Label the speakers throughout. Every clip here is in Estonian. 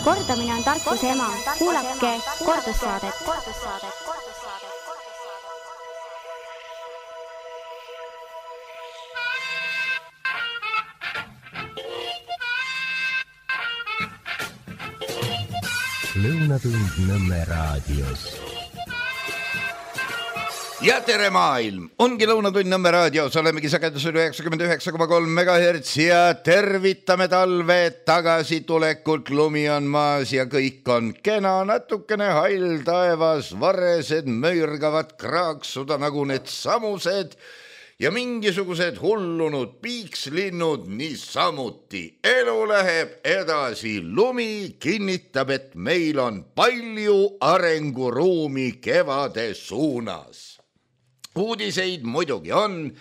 Speaker 1: Kordamine on tarkuse ema. Kuulake kordussaadet.
Speaker 2: Lõunatund Nõmme raadios.
Speaker 3: Ja tere maailm! Ongi Lõunatund Nõmme raadios, olemegi sagedusel 99,3 MHz ja tervitame talve tagasitulekut. Lumi on maas ja kõik on kena, natukene hall taevas, varesed möürgavad kraaksuda nagu need samused ja mingisugused hullunud piikslinnud niisamuti. Elu läheb edasi, lumi kinnitab, et meil on palju arenguruumi kevade suunas. Uudiseid muidugi on.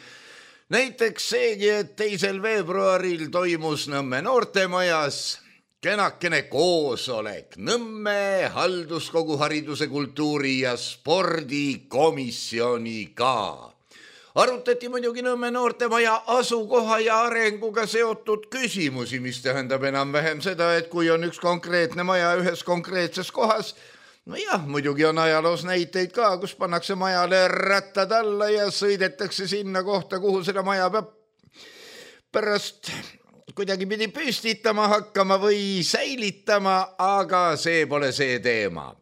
Speaker 3: Näiteks seegi, et 2. veebruaril toimus Nõmme noortemajas kenakene koosolek Nõmme halduskogu hariduse, kultuuri ja spordikomisjoniga. Arutati muidugi Nõmme noortemaja asukoha ja arenguga seotud küsimusi, mis tähendab enam-vähem seda, et kui on üks konkreetne maja ühes konkreetses kohas, no jah, muidugi on ajaloos näiteid ka, kus pannakse majale rattad alla ja sõidetakse sinna kohta, kuhu selle maja peab pärast kuidagi pidi püstitama hakkama või säilitama, aga see pole see teema.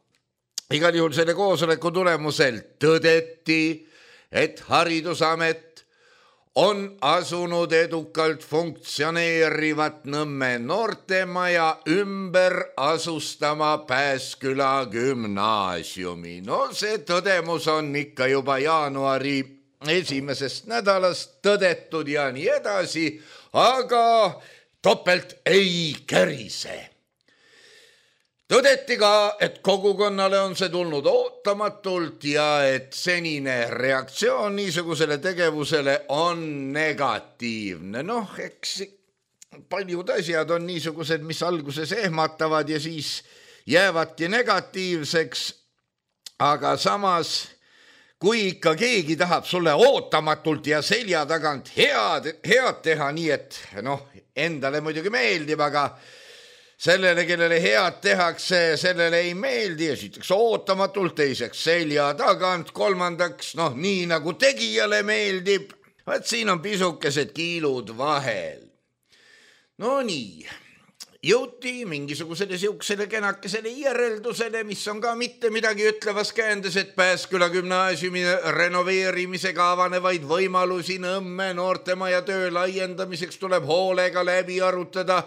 Speaker 3: Igal juhul selle koosoleku tulemusel tõdeti, et Haridusamet on asunud edukalt funktsioneerivat Nõmme noortemaja ümber asustama Pääsküla gümnaasiumi. No see tõdemus on ikka juba jaanuari esimesest nädalast tõdetud ja nii edasi, aga topelt ei kärise. Tõdeti ka, et kogukonnale on see tulnud ootamatult ja et senine reaktsioon niisugusele tegevusele on negatiivne. Noh, eks paljud asjad on niisugused, mis alguses ehmatavad ja siis jäävadki negatiivseks, aga samas, kui ikka keegi tahab sulle ootamatult ja selja tagant head teha, nii et endale muidugi meeldib, aga sellele, kellele head tehakse, sellele ei meeldi, esiteks ootamatult, teiseks selja tagant, kolmandaks, nii nagu tegijale meeldib. Vaat siin on pisukesed kiilud vahel. No nii, jõuti mingisugusele siuksele kenakesele järeldusele, mis on ka mitte midagi ütlevas käändes, et Pääsküla gümnaasiumi renoveerimisega avanevaid võimalusi Nõmme noortemaja töö laiendamiseks tuleb hoolega läbi arutada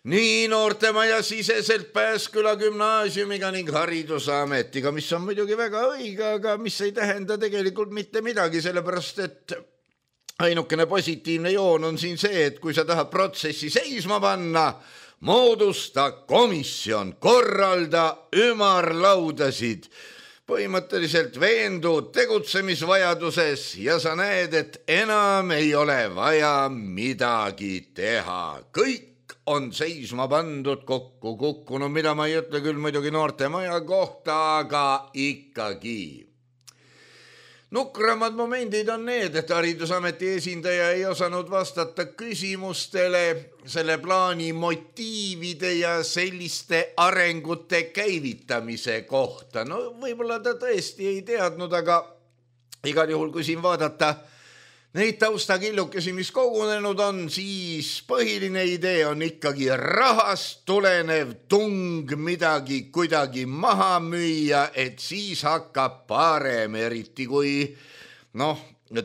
Speaker 3: nii noortemaja siseselt Pääsküla gümnaasiumiga ning Haridusametiga, mis on muidugi väga õige, aga mis ei tähenda tegelikult mitte midagi, sellepärast et ainukene positiivne joon on siin see, et kui sa tahad protsessi seisma panna, moodusta komisjon, korralda ümarlaudasid, põhimõtteliselt veendud tegutsemisvajaduses ja sa näed, et enam ei ole vaja midagi teha. Kõik on seisma pandud, kokku kukkunud, mida ma ei ütle küll muidugi noortemaja kohta, aga ikkagi. Nukramad momendid on need, et Haridusameti esindaja ei osanud vastata küsimustele selle plaani motiivide ja selliste arengute käivitamise kohta. No võib-olla ta tõesti ei teadnud, aga igal juhul, kui siin vaadata neid taustakillukesi, mis kogunenud on, siis põhiline idee on ikkagi rahast tulenev tung midagi kuidagi maha müüa, et siis hakkab parem, eriti kui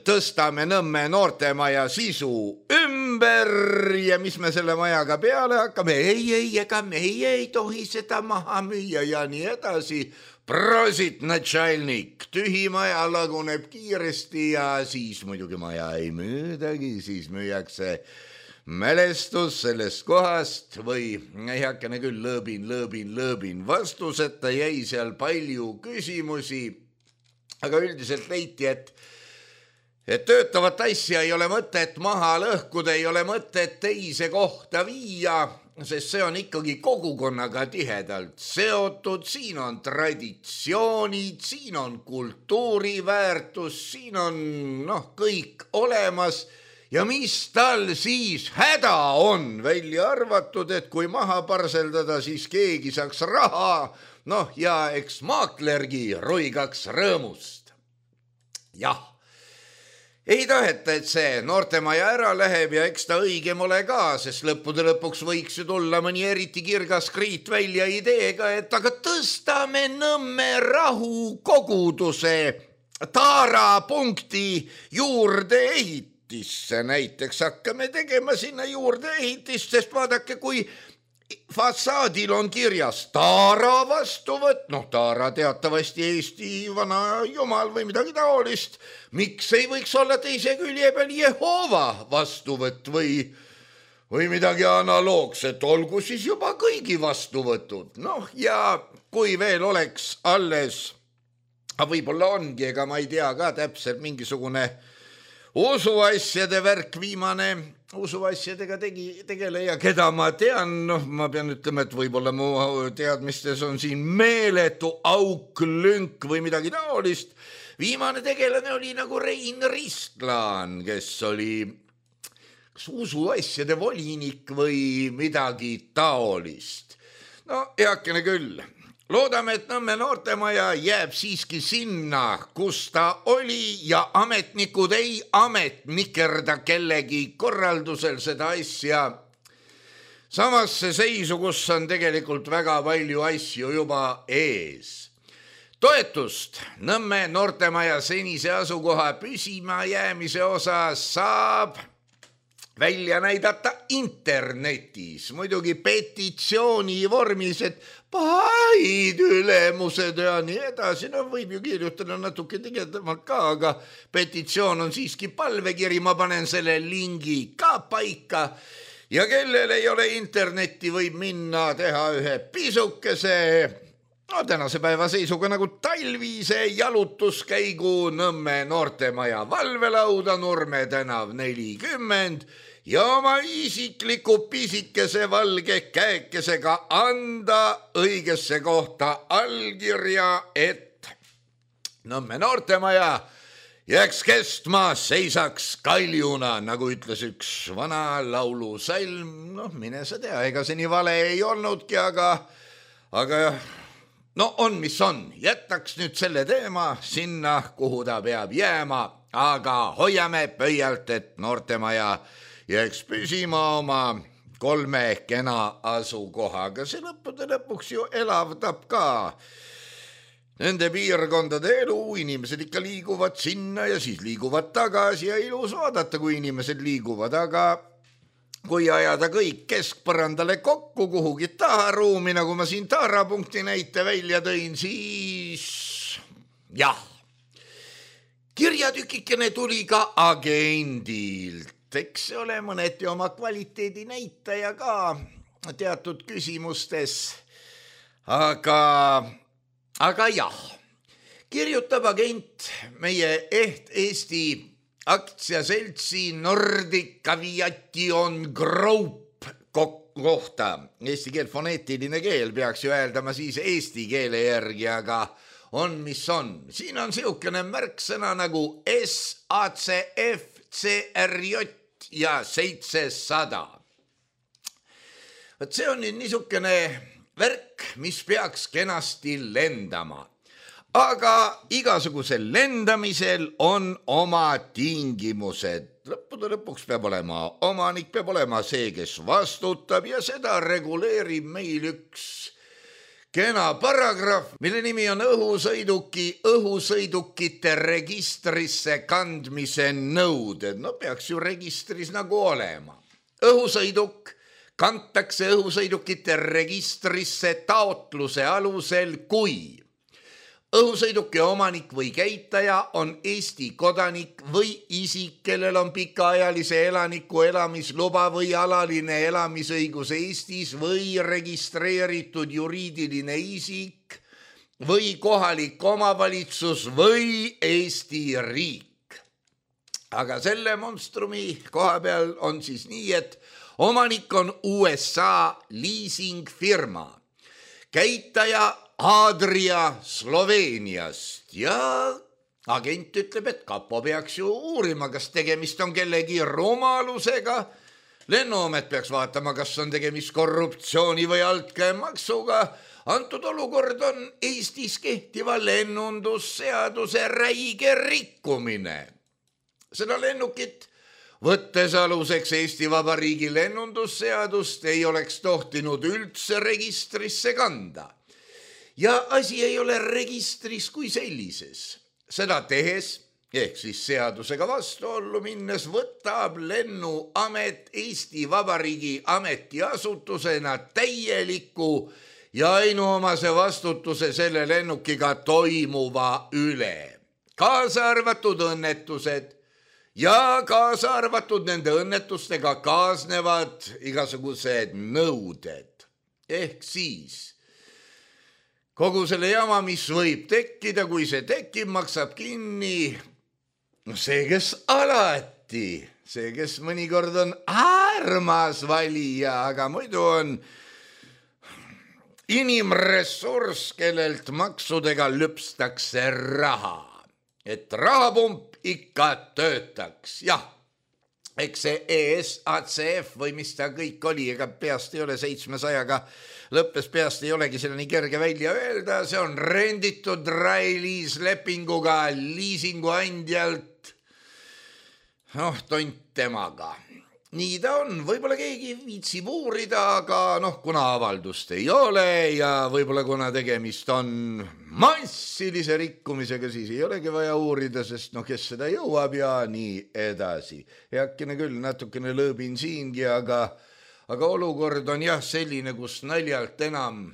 Speaker 3: tõstame Nõmme noortemaja sisu ümber ja mis me selle majaga peale hakkame. Ega meie ei tohi seda maha müüa ja nii edasi. Prosit, natšalnik, tühi maja laguneb kiiresti ja siis muidugi maja ei müüdagi, siis müüakse mälestus sellest kohast või heakene küll lõõbin. Vastuseta jäi seal palju küsimusi, aga üldiselt leiti, et töötavat asja ei ole mõtet maha lõhkuda, ei ole mõtet teise kohta viia, sest see on ikkagi kogukonnaga tihedalt seotud, siin on traditsioonid, siin on kultuuriväärtus, siin on kõik olemas ja mis tal siis häda on, välja arvatud, et kui maha parseldada, siis keegi saaks raha, noh ja eks maaklergi roigaks rõõmust. Jah, ei taheta, et see noortemaja ära läheb ja eks ta õigem ole ka, sest lõppude lõpuks võiks ju tulla mõni eriti kirgas kriit välja ideega, et aga tõstame Nõmme rahukoguduse taarapunkti juurde ehitisse, näiteks hakkame tegema sinna juurde ehitist, sest vaadake, kui fassaadil on kirjas taara vastuvõtt, noh taara teatavasti Eesti vana jumal või midagi taolist, miks ei võiks olla teise külje peal Jehova vastuvõtt või midagi analoogset, olgu siis juba kõigi vastuvõtud, noh ja kui veel oleks alles, võib-olla ongi, ega ma ei tea ka täpselt mingisugune usuasjade värk, viimane usuasjadega tegeleja, keda ma tean, noh ma pean ütlema, et võib-olla mu teadmistes on siin meeletu auk, lünk või midagi taolist. Viimane tegelane oli nagu Rein Ristlaan, kes oli kas usuasjade volinik või midagi taolist. No heakene küll. Loodame, et Nõmme noortemaja jääb siiski sinna, kus ta oli ja ametnikud ei ametnikerda kellegi korraldusel seda asja samasse seisu, kus on tegelikult väga palju asju juba ees. Toetust Nõmme noortemaja senise asukoha püsima jäämise osas saab välja näidata internetis, muidugi petitsiooni vormis, et paid ülemused ja nii edasi, no võib ju kirjutada natuke tegedamalt ka, aga petitsioon on siiski palvekiri, ma panen selle lingi ka paika ja kellel ei ole internetti, võib minna teha ühe pisukese, no tänase päeva seisuga nagu talvise jalutuskäigu Nõmme noortemaja valvelauda, Nurme tänav 40 ja oma isikliku pisikese valge käekesega anda õigesse kohta allkirja, et Nõmme noortemaja jääks kestma, seisaks kaljuna, nagu ütles üks vana laulusalm, noh mine sa tea, ega see nii vale ei olnudki, aga no on, mis on, jätaks nüüd selle teema sinna, kuhu ta peab jääma, aga hoiame pöialt, et noortemaja jääks püsima oma 3 kena asukohaga. See lõppude lõpuks ju elavdab ka nende piirkondade elu, inimesed ikka liiguvad sinna ja siis liiguvad tagasi ja ilus vaadata, kui inimesed liiguvad, aga kui ajada kõik keskpõrandale kokku kuhugi taharuumi, nagu ma siin taarapunkti näite välja tõin, siis jah, kirjatükikene tuli ka agendilt. Eks see ole mõneti oma kvaliteedi näitaja ka teatud küsimustes, aga jah, kirjutab agent meie Eesti aktsiaseltsi Nordic Aviation Group kohta. Eesti keel, foneetiline keel peaks ju öeldama siis eesti keele järgi, aga on mis on. Siin on siukene märksõna nagu SACF, CRJ ja 700. Võt see on nüüd niisugune värk, mis peaks kenasti lendama. Aga igasugusel lendamisel on oma tingimused. Lõppude lõpuks peab olema omanik, peab olema see, kes vastutab ja seda reguleerib meil üks kena paragrahv, mille nimi on õhusõidukite registrisse kandmise nõuded. No peaks ju registris nagu olema. Õhusõiduk kantakse õhusõidukite registrisse taotluse alusel, kui õhusõiduki omanik või käitaja on Eesti kodanik või isik, kellel on pikaajalise elaniku elamisluba või alaline elamisõigus Eestis või registreeritud juriidiline isik või kohalik omavalitsus või Eesti riik. Aga selle monstrumi koha peal on siis nii, et omanik on USA liisingfirma, käitaja Adria Sloveeniast ja agent ütleb, et kapo peaks ju uurima, kas tegemist on kellegi rumalusega. Lennuamet peaks vaatama, kas on tegemist korruptsiooni või altkäemaksuga. Antud olukord on Eestis kehtiva lennundusseaduse räige rikkumine. Seda lennukit, võttes aluseks Eesti Vabariigi lennundusseadust, ei oleks tohtinud üldse registrisse kanda. Ja asi ei ole registris kui sellises. Seda tehes, ehk siis seadusega vastuollu minnes, võtab lennuamet Eesti Vabariigi ametiasutusena täieliku ja ainuomase vastutuse selle lennukiga toimuva üle. Kaasa arvatud õnnetused ja kaasa arvatud nende õnnetustega kaasnevad igasugused nõuded. Ehk siis kogu selle jama, mis võib tekkida, kui see tekib, maksab kinni see, kes alati, see, kes mõnikord on armas valija, aga muidu on inimressurss, kellelt maksudega lüpstakse raha, et rahapump ikka töötaks. Jah, eks see ESACF või mis ta kõik oli, ega peast ei ole 700-ga lõppes, peast ei olegi selle nii kerge välja öelda, see on renditud lepinguga liisinguandjalt, tont temaga. Nii ta on, võib-olla keegi viitsib uurida, aga kuna avaldust ei ole ja võib-olla kuna tegemist on massilise rikkumisega, siis ei olegi vaja uurida, sest kes seda jõuab ja nii edasi. Heakene küll, natukene lõõbin siingi, aga olukord on jah selline, kus naljalt enam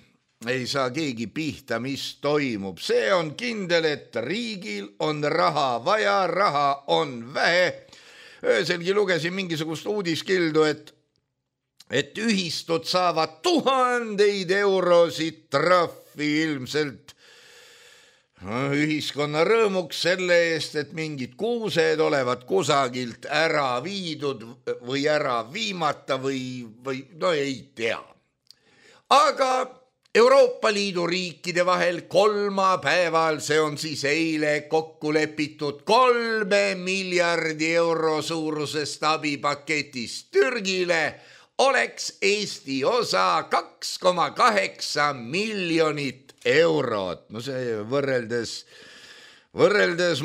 Speaker 3: ei saa keegi pihta, mis toimub. See on kindel, et riigil on raha vaja, raha on vähe. Ööselgi lugesin mingisugust uudiskildu, et ühistud saavad 1000 eurosid trahvi ilmselt ühiskonna rõõmuks selle eest, et mingid kuused olevat kusagilt ära viidud või ära viimata või ei tea. Aga Euroopa Liidu riikide vahel kolmapäeval, see on siis eile kokku lepitud 3 miljardi euro suurusest abipaketist Türgile, oleks Eesti osa 2,8 miljonit eurot. See võrreldes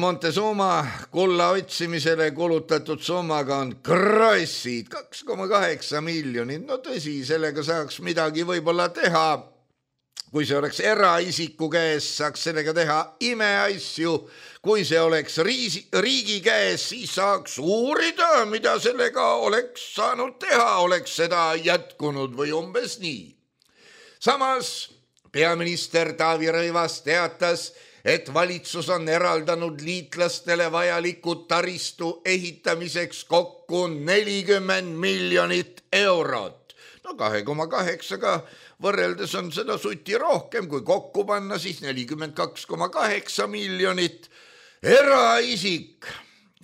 Speaker 3: Montezuma kulla otsimisele kulutatud summaga on krossid 2,8 miljonit. Tõsi, sellega saaks midagi võib-olla teha. Kui see oleks eraisiku käes, saaks sellega teha imeasju. Kui see oleks riigi käes, siis saaks uurida, mida sellega oleks saanud teha, oleks seda jätkunud või umbes nii. Samas peaminister Taavi Rõivas teatas, et valitsus on eraldanud liitlastele vajaliku taristu ehitamiseks kokku 40 miljonit eurot. 2,8-ga võrreldes on seda suti rohkem, kui kokku panna, siis 42,8 miljonit. Eraisik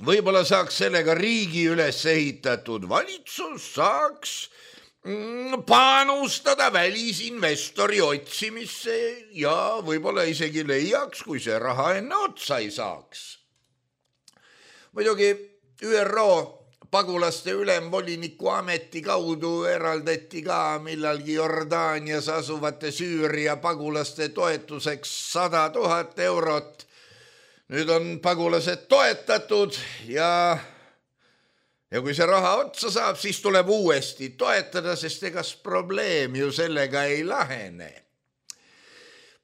Speaker 3: võib-olla saaks sellega riigi üles ehitatud, valitsus saaks panustada välisinvestori otsimisse ja võib-olla isegi leiaks, kui see raha enne otsa ei saaks. Muidugi ÜRO pagulaste ülemvoliniku ameti kaudu eraldati ka millalgi Jordaanias asuvate Süüria pagulaste toetuseks 100 000 eurot. Nüüd on pagulased toetatud ja kui see raha otsa saab, siis tuleb uuesti toetada, sest egas probleem ju sellega ei lahene.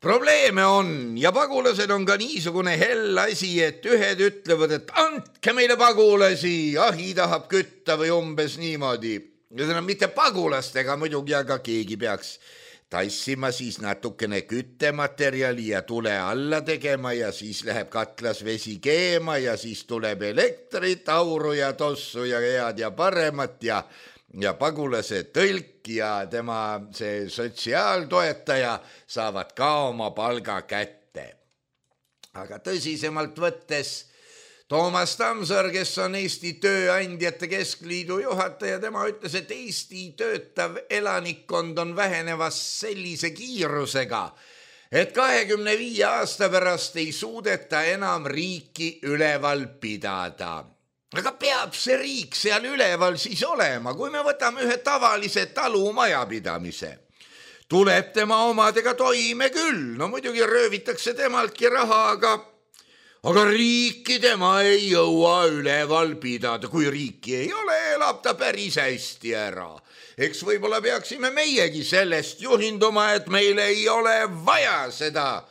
Speaker 3: Probleeme on ja pagulased on ka niisugune hell asi, et ühed ütlevad, et andke meile pagulasi, ahi tahab kütta või umbes niimoodi. Ja see on mitte pagulastega muidugi, aga keegi peaks tassima siis natukene küttematerjali ja tule alla tegema ja siis läheb katlas vesi keema ja siis tuleb elektrit, auru ja tossu ja head ja paremat ja pagulase tõlk ja tema see sotsiaaltoetaja saavad ka oma palga kätte. Aga tõsisemalt võttes Toomas Tamsar, kes on Eesti Tööandjate Keskliidu juhataja, tema ütles, et Eesti töötav elanikkond on vähenevas sellise kiirusega, et 25 aasta pärast ei suudeta enam riiki üleval pidada. Aga peab see riik seal üleval siis olema, kui me võtame ühe tavalise talumajapidamise. Tuleb tema omadega toime küll, no muidugi röövitakse temaltki raha, aga riiki tema ei jõua üleval pidada. Kui riiki ei ole, elab ta päris hästi ära. Eks võib-olla peaksime meiegi sellest juhinduma, et meil ei ole vaja seda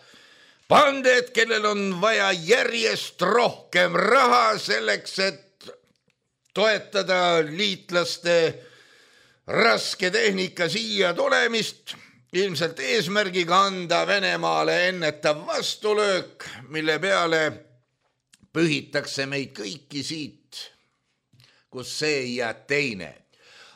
Speaker 3: pandet, kellel on vaja järjest rohkem raha selleks, et toetada liitlaste raske tehnika siia tulemist, ilmselt eesmärgiga anda Venemaale ennetav vastulöök, mille peale pühitakse meid kõiki siit, kus see ja teine.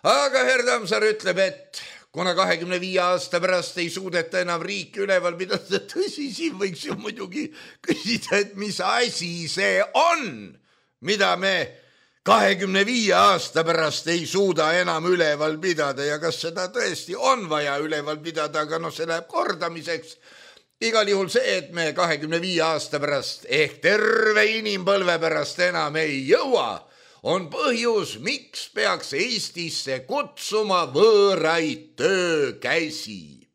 Speaker 3: Aga Herr Tammsaar ütleb, et kuna 25 aasta pärast ei suudeta enam riiki üleval pidada, tõsi, siin võiks ju muidugi küsida, et mis asi see on, mida me 25 aasta pärast ei suuda enam üleval pidada ja kas seda tõesti on vaja üleval pidada, aga see läheb kordamiseks. Igal juhul see, et me 25 aasta pärast ehk terve inimpõlve pärast enam ei jõua, on põhjus, miks peaks Eestisse kutsuma võõraid töökäsi.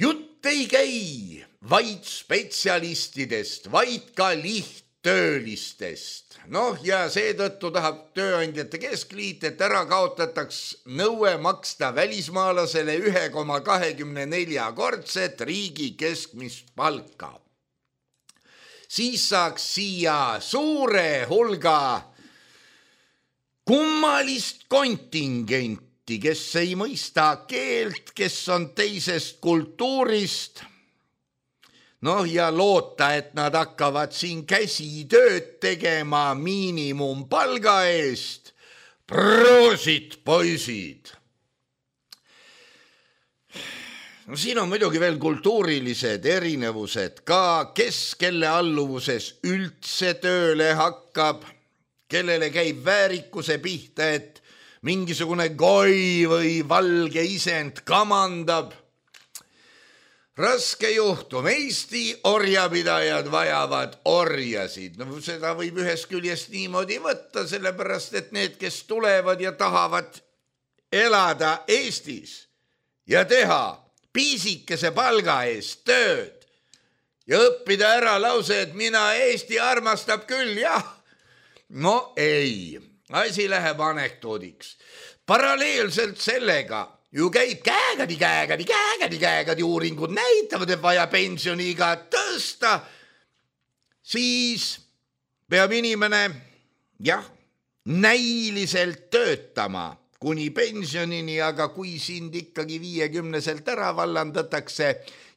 Speaker 3: Jutt ei käi vaid spetsialistidest, vaid ka lihttöölistest. Ja seetõttu tahab Tööandjate Keskliit, et ära kaotataks nõue maksta välismaalasele 1,24-kordset riigi keskmist palka. Siis saaks siia suure hulga kummalist kontingenti, kes ei mõista keelt, kes on teisest kultuurist. Ja loota, et nad hakkavad siin käsitööd tegema miinimumpalga eest. Proosit, poisid! Siin on muidugi veel kultuurilised erinevused ka, kes kelle alluvuses üldse tööle hakkab, kellele käib väärikuse pihta, et mingisugune goi või valge isend kamandab. Raske juhtum, Eesti orjapidajad vajavad orjasid. Seda võib ühest küljest niimoodi võtta, sellepärast, et need, kes tulevad ja tahavad elada Eestis ja teha piisikese palga eest tööd ja õppida ära lause, et mina Eesti armastab küll, jah. Ei, asi läheb anekdoodiks. Paralleelselt sellega ju käib käegadi uuringud näitavad, et vaja pensioniiga tõsta, siis peab inimene, näiliselt töötama kuni pensionini, aga kui sind ikkagi 50-selt ära vallandatakse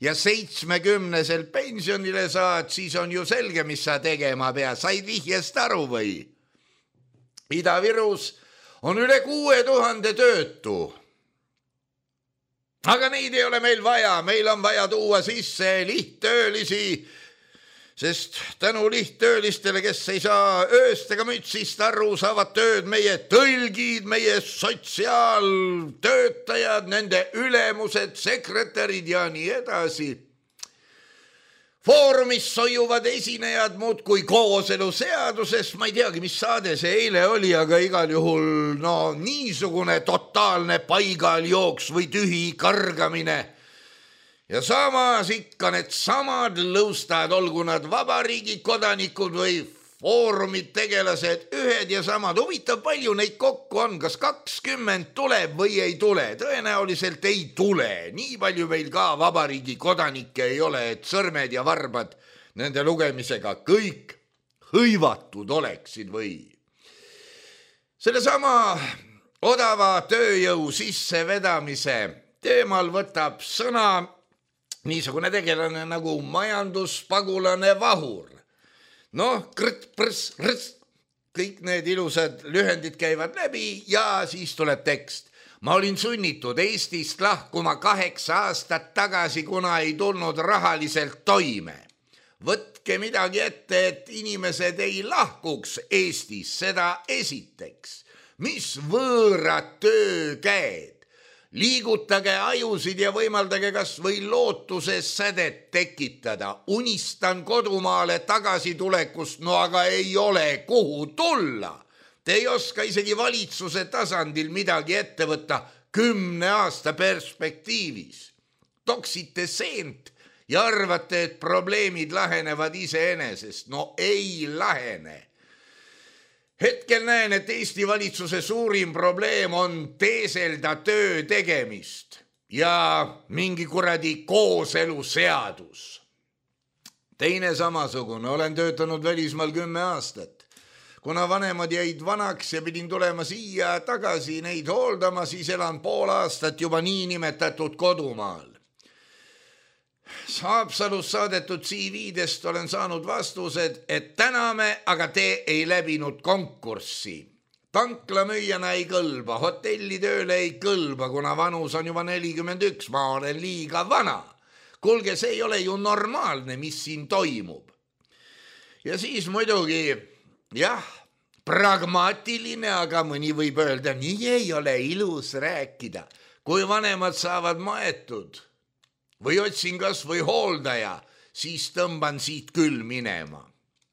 Speaker 3: ja 70-selt pensionile saad, siis on ju selge, mis sa tegema pead. Said vihjest aru või? Ida-Virus on üle 6000 töötu. Aga neid ei ole meil vaja, meil on vaja tuua sisse lihttöölisi, sest tänu lihttöölistele, kes ei saa ööst ega mütsist aru, saavad tööd meie tõlgid, meie sotsiaaltöötajad, nende ülemused, sekretärid ja nii edasi. Foorumis soiuvad esinejad muudkui kooseluseadusest, ma ei teagi, mis saade see eile oli, aga igal juhul niisugune totaalne paigaljooks või tühi kargamine. Ja samas ikka need samad lõustad, olgu nad vabariigi kodanikud või foorumid tegelased, ühed ja samad. Huvitav, palju neid kokku on, kas 20 tuleb või ei tule? Tõenäoliselt ei tule. Nii palju meil ka vabariigi kodanikke ei ole, et sõrmed ja varbad nende lugemisega kõik hõivatud oleksid või. Sellesama odava tööjõu sissevedamise teemal võtab sõna niisugune tegelane nagu majanduspagulane Vahur. Kõik need ilusad lühendid käivad läbi ja siis tuleb tekst. Ma olin sunnitud Eestist lahkuma 8 aastat tagasi, kuna ei tulnud rahaliselt toime. Võtke midagi ette, et inimesed ei lahkuks Eestis, seda esiteks. Mis võõrad töökäed? Liigutage ajusid ja võimaldage kas või lootuses sädet tekitada. Unistan kodumaale tagasitulekust, no aga ei ole kuhu tulla. Te ei oska isegi valitsuse tasandil midagi ette võtta 10 aasta perspektiivis. Toksite seent ja arvate, et probleemid lahenevad iseenesest. No ei lahene. Hetkel näen, et Eesti valitsuse suurim probleem on teeselda töö tegemist ja mingi kuradi kooseluseadus. Teine samasugune, olen töötanud välismaal 10 aastat. Kuna vanemad jäid vanaks ja pidin tulema siia tagasi neid hooldama, siis elan pool aastat juba niinimetatud kodumaal. Haapsalus saadetud CV-dest olen saanud vastused, et täname, aga te ei läbinud konkurssi. Tanklamüüjana ei kõlba, hotellitööle ei kõlba, kuna vanus on juba 41, ma olen liiga vana. Kuulge, see ei ole ju normaalne, mis siin toimub. Ja siis muidugi, jah, pragmaatiline, aga mõni võib öelda, nii ei ole ilus rääkida. Kui vanemad saavad maetud või otsin kas või hooldaja, siis tõmban siit küll minema.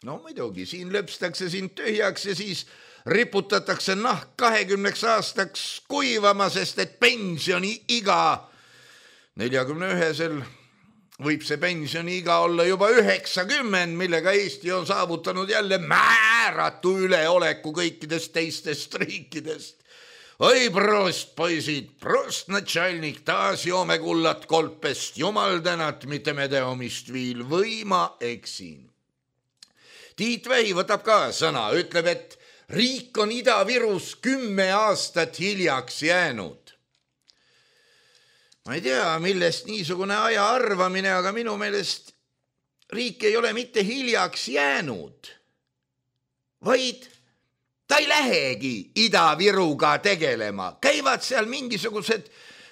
Speaker 3: No muidugi, siin löpstakse sind tühjaks ja siis riputatakse nahk 20 aastaks kuivama, sest et pensioniiga 41-sel võib see pensioniiga olla juba 90, millega Eesti on saavutanud jälle määratu üleoleku kõikidest teistest riikidest. Oi, prost, poisid, prost, natšalnik, taas joome kullat kolpest, jumal tänat, mitte me teomist viil, või ma eksin. Tiit Vähi võtab ka sõna, ütleb, et riik on Ida-Virus 10 aastat hiljaks jäänud. Ma ei tea, millest niisugune aja arvamine, aga minu meelest riik ei ole mitte hiljaks jäänud, vaid ta ei lähegi Ida-Viruga tegelema. Käivad seal mingisugused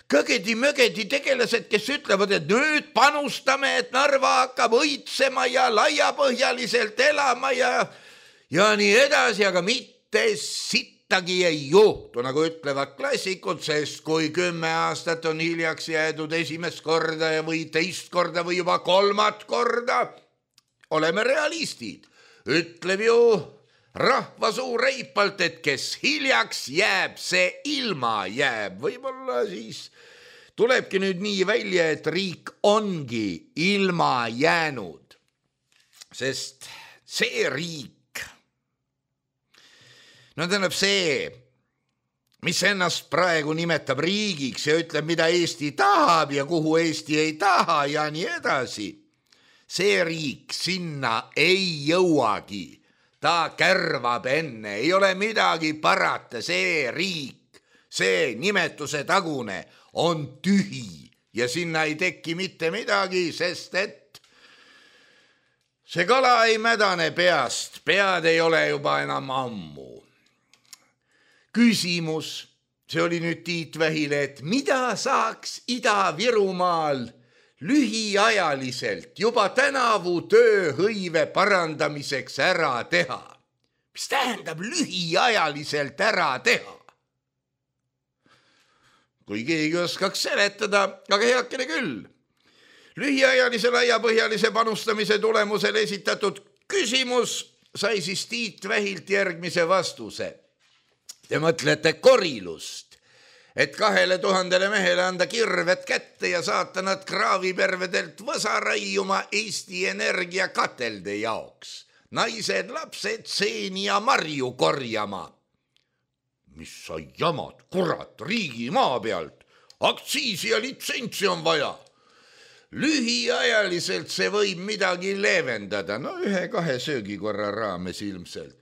Speaker 3: kõgedi-mögedi tegelased, kes ütlevad, et nüüd panustame, et Narva hakkab õitsema ja laiapõhjaliselt elama ja nii edasi, aga mitte sittagi ei juhtu, nagu ütlevad klassikud, sest kui 10 aastat on hiljaks jäädud esimest korda või teist korda või juba 3. korda, oleme realistid, ütleb ju rahvasuu reipalt, et kes hiljaks jääb, see ilma jääb. Võib-olla siis tulebki nüüd nii välja, et riik ongi ilma jäänud, sest see riik, no tähendab see, mis ennast praegu nimetab riigiks ja ütleb, mida Eesti tahab ja kuhu Eesti ei taha ja nii edasi, see riik sinna ei jõuagi. Ta kärvab enne, ei ole midagi parata, see riik, see nimetuse tagune on tühi ja sinna ei teki mitte midagi, sest et see kala ei mädane peast, pead ei ole juba enam ammu. Küsimus, see oli nüüd Tiit Vähile, et mida saaks Ida-Virumaal lühiajaliselt juba tänavu tööhõive parandamiseks ära teha. Mis tähendab lühiajaliselt ära teha? Kui keegi oskaks seletada, aga heakene küll. Lühiajalise laiapõhjalise panustamise tulemusel esitatud küsimus sai siis Tiit Vähilt järgmise vastuse. Te mõtlete korilust, et 2000 mehele anda kirved kätte ja saata nad kraavipervedelt võsa raiuma Eesti Energia katelde jaoks. Naised, lapsed, seeni ja marju korjama. Mis sa jamad, kurat, riigi maa pealt? Aktsiisi ja litsentsi on vaja. Lühiajaliselt see võib midagi leevendada, no 1-2 söögikorra raames ilmselt.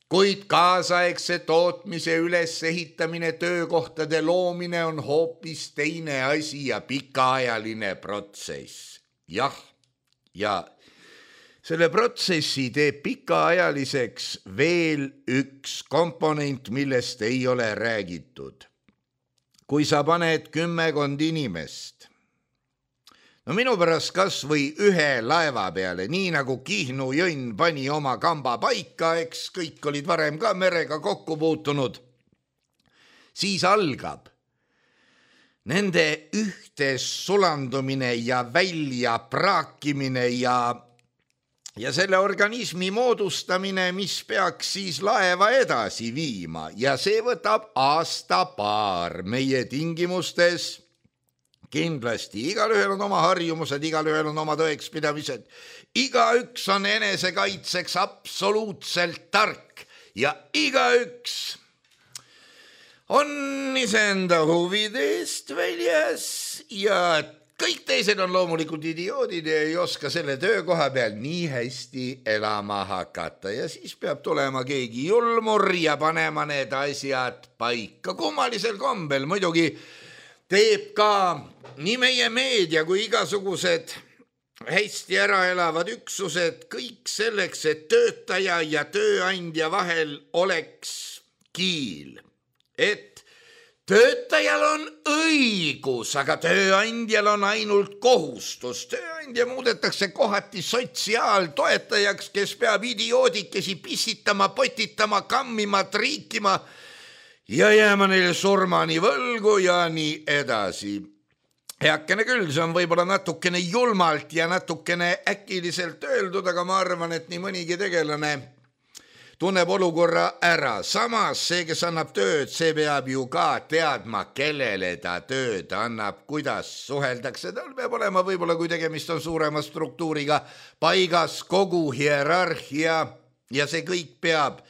Speaker 3: Kuid kaasaegse tootmise ülesehitamine, töökohtade loomine on hoopis teine asi ja pikaajaline protsess. Jah, ja selle protsessi teeb pikaajaliseks veel üks komponent, millest ei ole räägitud. Kui sa paned 10 inimest, no minu pärast kas või 1 laeva peale, nii nagu Kihnu jõnn pani oma kamba paika, eks kõik olid varem ka merega kokku puutunud, siis algab nende ühtes sulandumine ja välja praakimine ja selle organismi moodustamine, mis peaks siis laeva edasi viima ja see võtab aasta-paar meie tingimustes. Kindlasti igalühel on oma harjumused, igalühel on oma tõekspidamised, igaüks on enesekaitseks absoluutselt tark ja igaüks on iseenda huvide eest väljas ja kõik teised on loomulikult idioodid ja ei oska selle töökoha peal nii hästi elama hakata ja siis peab tulema keegi julmur ja panema need asjad paika. Kummalisel kombel muidugi teeb ka nii meie meedia kui igasugused hästi ära elavad üksused kõik selleks, et töötaja ja tööandja vahel oleks kiil. Et töötajal on õigus, aga tööandjal on ainult kohustus. Tööandja muudetakse kohati sotsiaaltoetajaks, kes peab idioodikesi pissitama, potitama, kammima, triikima ja jääma neile surmani võlgu ja nii edasi. Heakene küll, see on võib-olla natukene julmalt ja natukene äkiliselt öeldud, aga ma arvan, et nii mõnigi tegelane tunneb olukorra ära. Samas see, kes annab tööd, see peab ju ka teadma, kellele ta tööd annab, kuidas suheldakse. Tal peab olema võib-olla, kui tegemist on suurema struktuuriga, paigas kogu hierarhia ja see kõik peab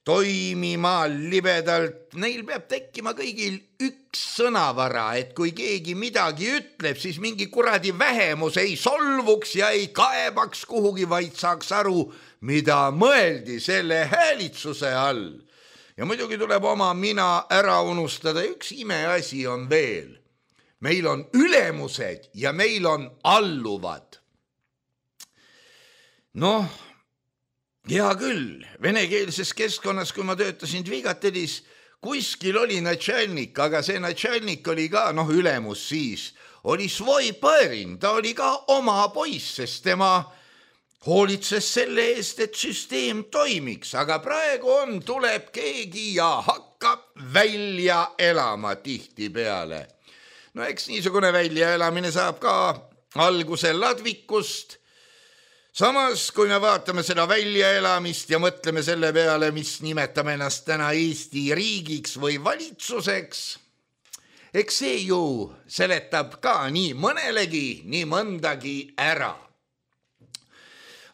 Speaker 3: toimima libedalt. Neil peab tekkima kõigil üks sõnavara, et kui keegi midagi ütleb, siis mingi kuradi vähemus ei solvuks ja ei kaebaks kuhugi, vaid saaks aru, mida mõeldi selle häälitsuse all. Ja muidugi tuleb oma mina ära unustada. Üks imeasi on veel. Meil on ülemused ja meil on alluvad. Noh, hea küll, venekeelses keskkonnas, kui ma töötasin Dvigatelis, kuskil oli natšalnik, aga see natšalnik oli ka, ülemus siis, oli svoi põrin, ta oli ka oma poiss, sest tema hoolitses selle eest, et süsteem toimiks, aga praegu tuleb keegi ja hakkab välja elama tihtipeale. No eks niisugune väljaelamine saab ka alguse ladvikust. Samas, kui me vaatame seda väljaelamist ja mõtleme selle peale, mis nimetame ennast täna Eesti riigiks või valitsuseks, eks see ju seletab ka nii mõnelegi, nii mõndagi ära.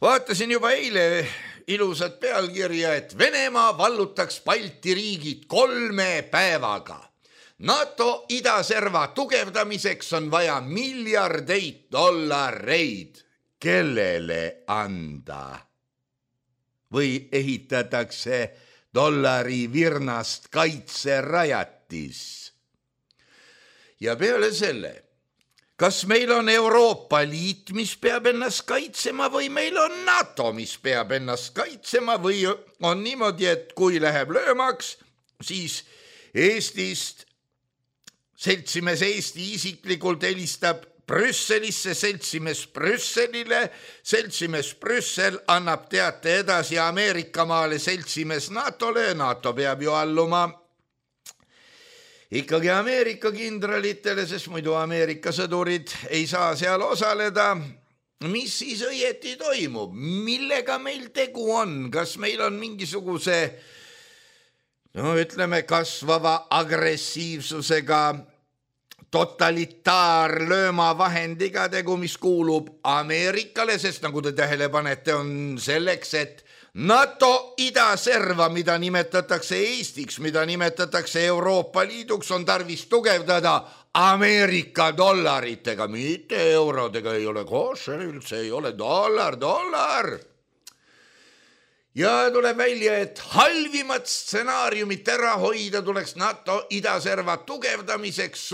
Speaker 3: Vaatasin juba eile ilusat pealkirja, et Venemaa vallutaks Balti riigid 3 päevaga. NATO idaserva tugevdamiseks on vaja miljardeid dollareid. Kellele anda? Või ehitatakse dollari virnast kaitserajatis? Ja peale selle, kas meil on Euroopa Liit, mis peab ennast kaitsema või meil on NATO, mis peab ennast kaitsema või on niimoodi, et kui läheb löömaks, siis Eestist seltsimees Eesti isiklikult helistab Brüsselisse, seltsimees Brüsselile, seltsimees Brüssel annab teate edasi Ameerikamaale seltsimees NATO-le, NATO peab ju alluma ikkagi Ameerika kindralitele, sest muidu Ameerika sõdurid ei saa seal osaleda. Mis siis õieti toimub? Millega meil tegu on? Kas meil on mingisuguse, ütleme, kasvava agressiivsusega totalitaarlööma vahendiga tegu, mis kuulub Ameerikale, sest nagu te tähele panete, on selleks, et NATO idaserva, mida nimetatakse Eestiks, mida nimetatakse Euroopa Liiduks, on tarvis tugevdada Ameerika dollaritega, mitte eurodega, ei ole košer, üldse ei ole dollar. Ja tuleb välja, et halvimat stsenaariumit ära hoida tuleks NATO idaserva tugevdamiseks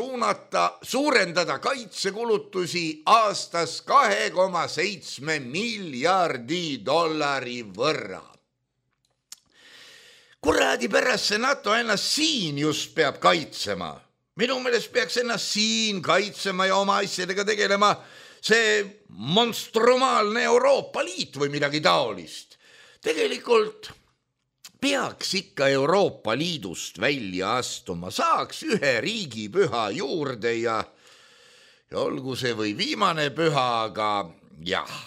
Speaker 3: suurendada kaitsekulutusi aastas 2,7 miljardi dollari võrra. Kuradi pärast see NATO ennast siin just peab kaitsema. Minu meelest peaks ennast siin kaitsema ja oma asjadega tegelema see monstrumaalne Euroopa Liit või midagi taolist. Tegelikult peaks ikka Euroopa Liidust välja astuma, saaks ühe riigipüha juurde ja olgu see või viimane püha, aga jah.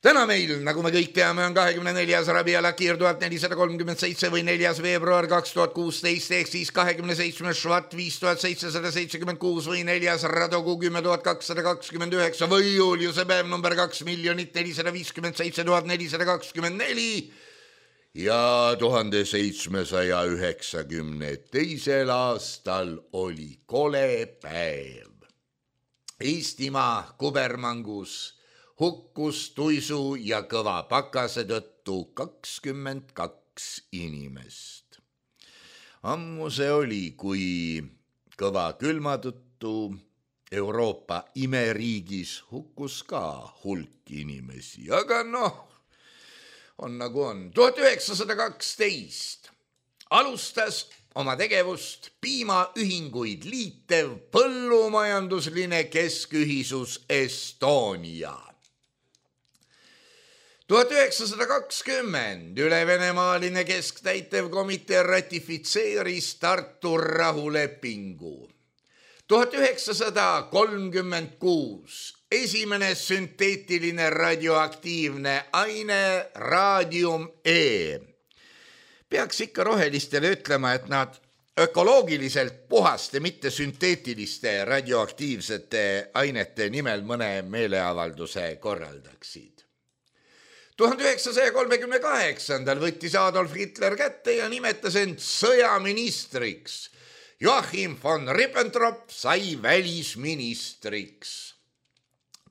Speaker 3: Täna meil, nagu me kõik teame, on 24. Rabi Al-Akhir 1437 või 4. veebruar 2016 ehk siis 27. Švat 5776 või 4. Radogu 10229 või Juliuse päev number 2 457 424 ja 1792. aastal oli kole päev. Eestimaa kubermangus hukkus tuisu ja kõva pakase tõttu 22 inimest. Ammu see oli, kui kõva külma tõttu Euroopa imeriigis hukkus ka hulk inimesi, aga on nagu on. 1912 alustas oma tegevust piimaühinguid liitev põllumajandusline keskühisus Estonia. 1920 ülevenemaaline kesktäitevkomitee ratifitseeris Tartu rahulepingu. 1936 esimene sünteetiline radioaktiivne aine raadium E. Peaks ikka rohelistele ütlema, et nad ökoloogiliselt puhaste, mitte sünteetiliste radioaktiivsete ainete nimel mõne meeleavalduse korraldaksid. 1938 võttis Adolf Hitler kätte ja nimetas end sõjaministriks. Joachim von Ribbentrop sai välisministriks.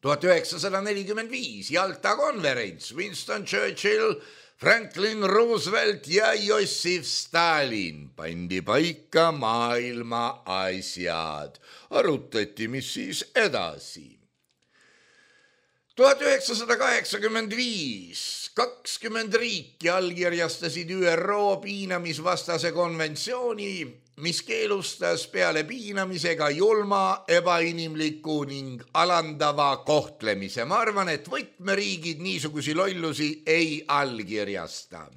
Speaker 3: 1945 Jalta konverents, Winston Churchill, Franklin Roosevelt ja Jossif Stalin pandi paika maailma asjad. Arutati, mis siis edasi. 1985 20 riiki allkirjastasid ÜRO piinamisvastase konventsiooni, mis keelustas peale piinamisega julma, ebainimliku ning alandava kohtlemise. Ma arvan, et võtmeriigid niisugusi lollusi ei allkirjasta.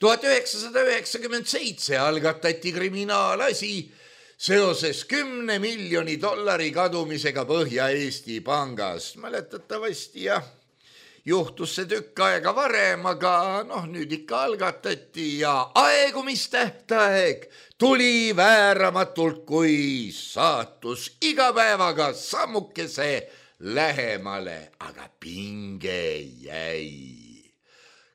Speaker 3: 1997 algatati kriminaalasi seoses 10 miljoni dollari kadumisega Põhja-Eesti pangast. Mäletatavasti juhtus see tükk aega varem, aga nüüd ikka algatati ja aegumistähtaeg tuli vääramatult, kui saatus iga päevaga sammukese lähemale, aga pinge jäi.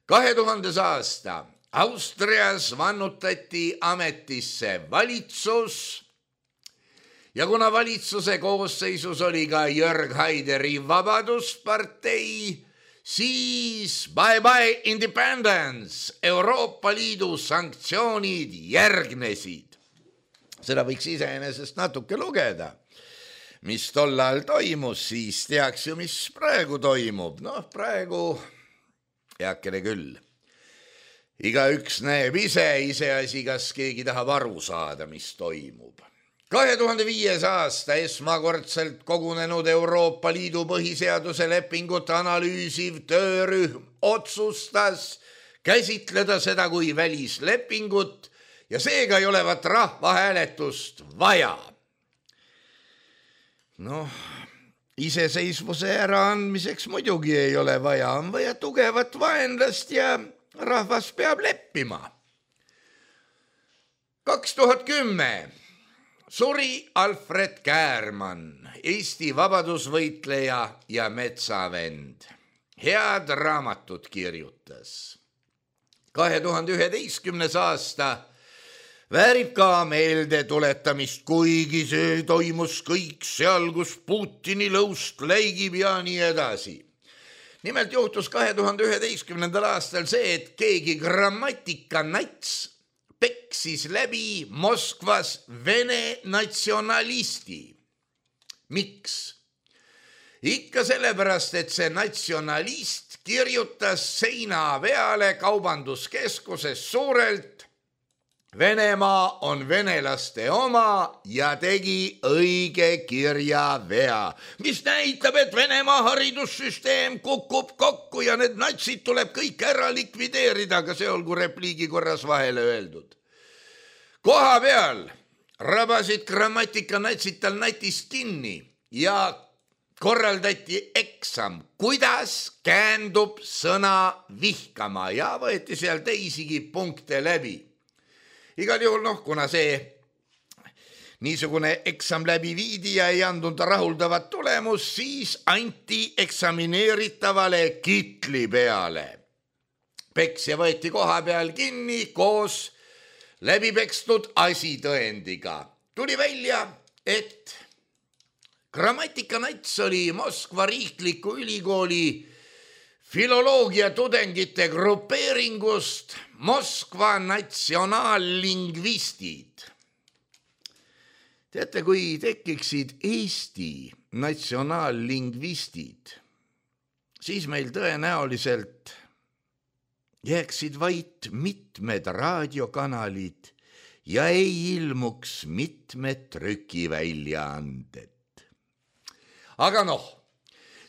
Speaker 3: 2000. aasta Austrias vannutati ametisse valitsus ja kuna valitsuse koosseisus oli ka Jörg Haideri Vabaduspartei, siis bye-bye independence, Euroopa Liidu sanktsioonid järgnesid. Seda võiks iseenesest natuke lugeda. Mis tollal toimus, siis teaks ju, mis praegu toimub. Praegu heakene küll. Igaüks näeb iseasi, kas keegi tahab aru saada, mis toimub. 2005. aasta esmakordselt kogunenud Euroopa Liidu põhiseaduse lepingut analüüsiv töörühm otsustas käsitleda seda kui välislepingut ja seega ei olevat rahvahääletust vaja. Iseseisvuse äraandmiseks muidugi ei ole vaja, on vaja tugevat vaenlast ja rahvas peab leppima. 2010 suri Alfred Käärmann, Eesti vabadusvõitleja ja metsavend. Head raamatut kirjutas. 2011. aasta väärib ka meelde tuletamist, kuigi see toimus kõik seal, kus Putini lõust läigib ja nii edasi. Nimelt juhtus 2011. aastal see, et keegi grammatikanats peksis läbi Moskvas vene natsionalisti. Miks? Ikka sellepärast, et see natsionalist kirjutas seina peale kaubanduskeskuses suurelt Venemaa on venelaste oma ja tegi õige kirjavea, mis näitab, et Venemaa haridussüsteem kukub kokku ja need natsid tuleb kõik ära likvideerida, aga see olgu repliigi korras vahele öeldud. Koha peal rabasid grammatikanaitsid tal natist kinni ja korraldati eksam, kuidas käändub sõna vihkama ja võeti seal teisigi punkte läbi. Igal juhul, kuna see niisugune eksam läbi viidi ja ei andnud rahuldavat tulemus, siis anti eksamineeritavale kitli peale. Peksja võeti koha peal kinni koos läbipekstud asitõendiga. Tuli välja, et grammatikanats oli Moskva riikliku ülikooli filoloogia tudengite grupeeringust Moskva natsionaallingvistid. Teate, kui tekiksid Eesti natsionaallingvistid, siis meil tõenäoliselt jääksid vaid mitmed raadiokanalid ja ei ilmuks mitmed trükiväljaanded. Aga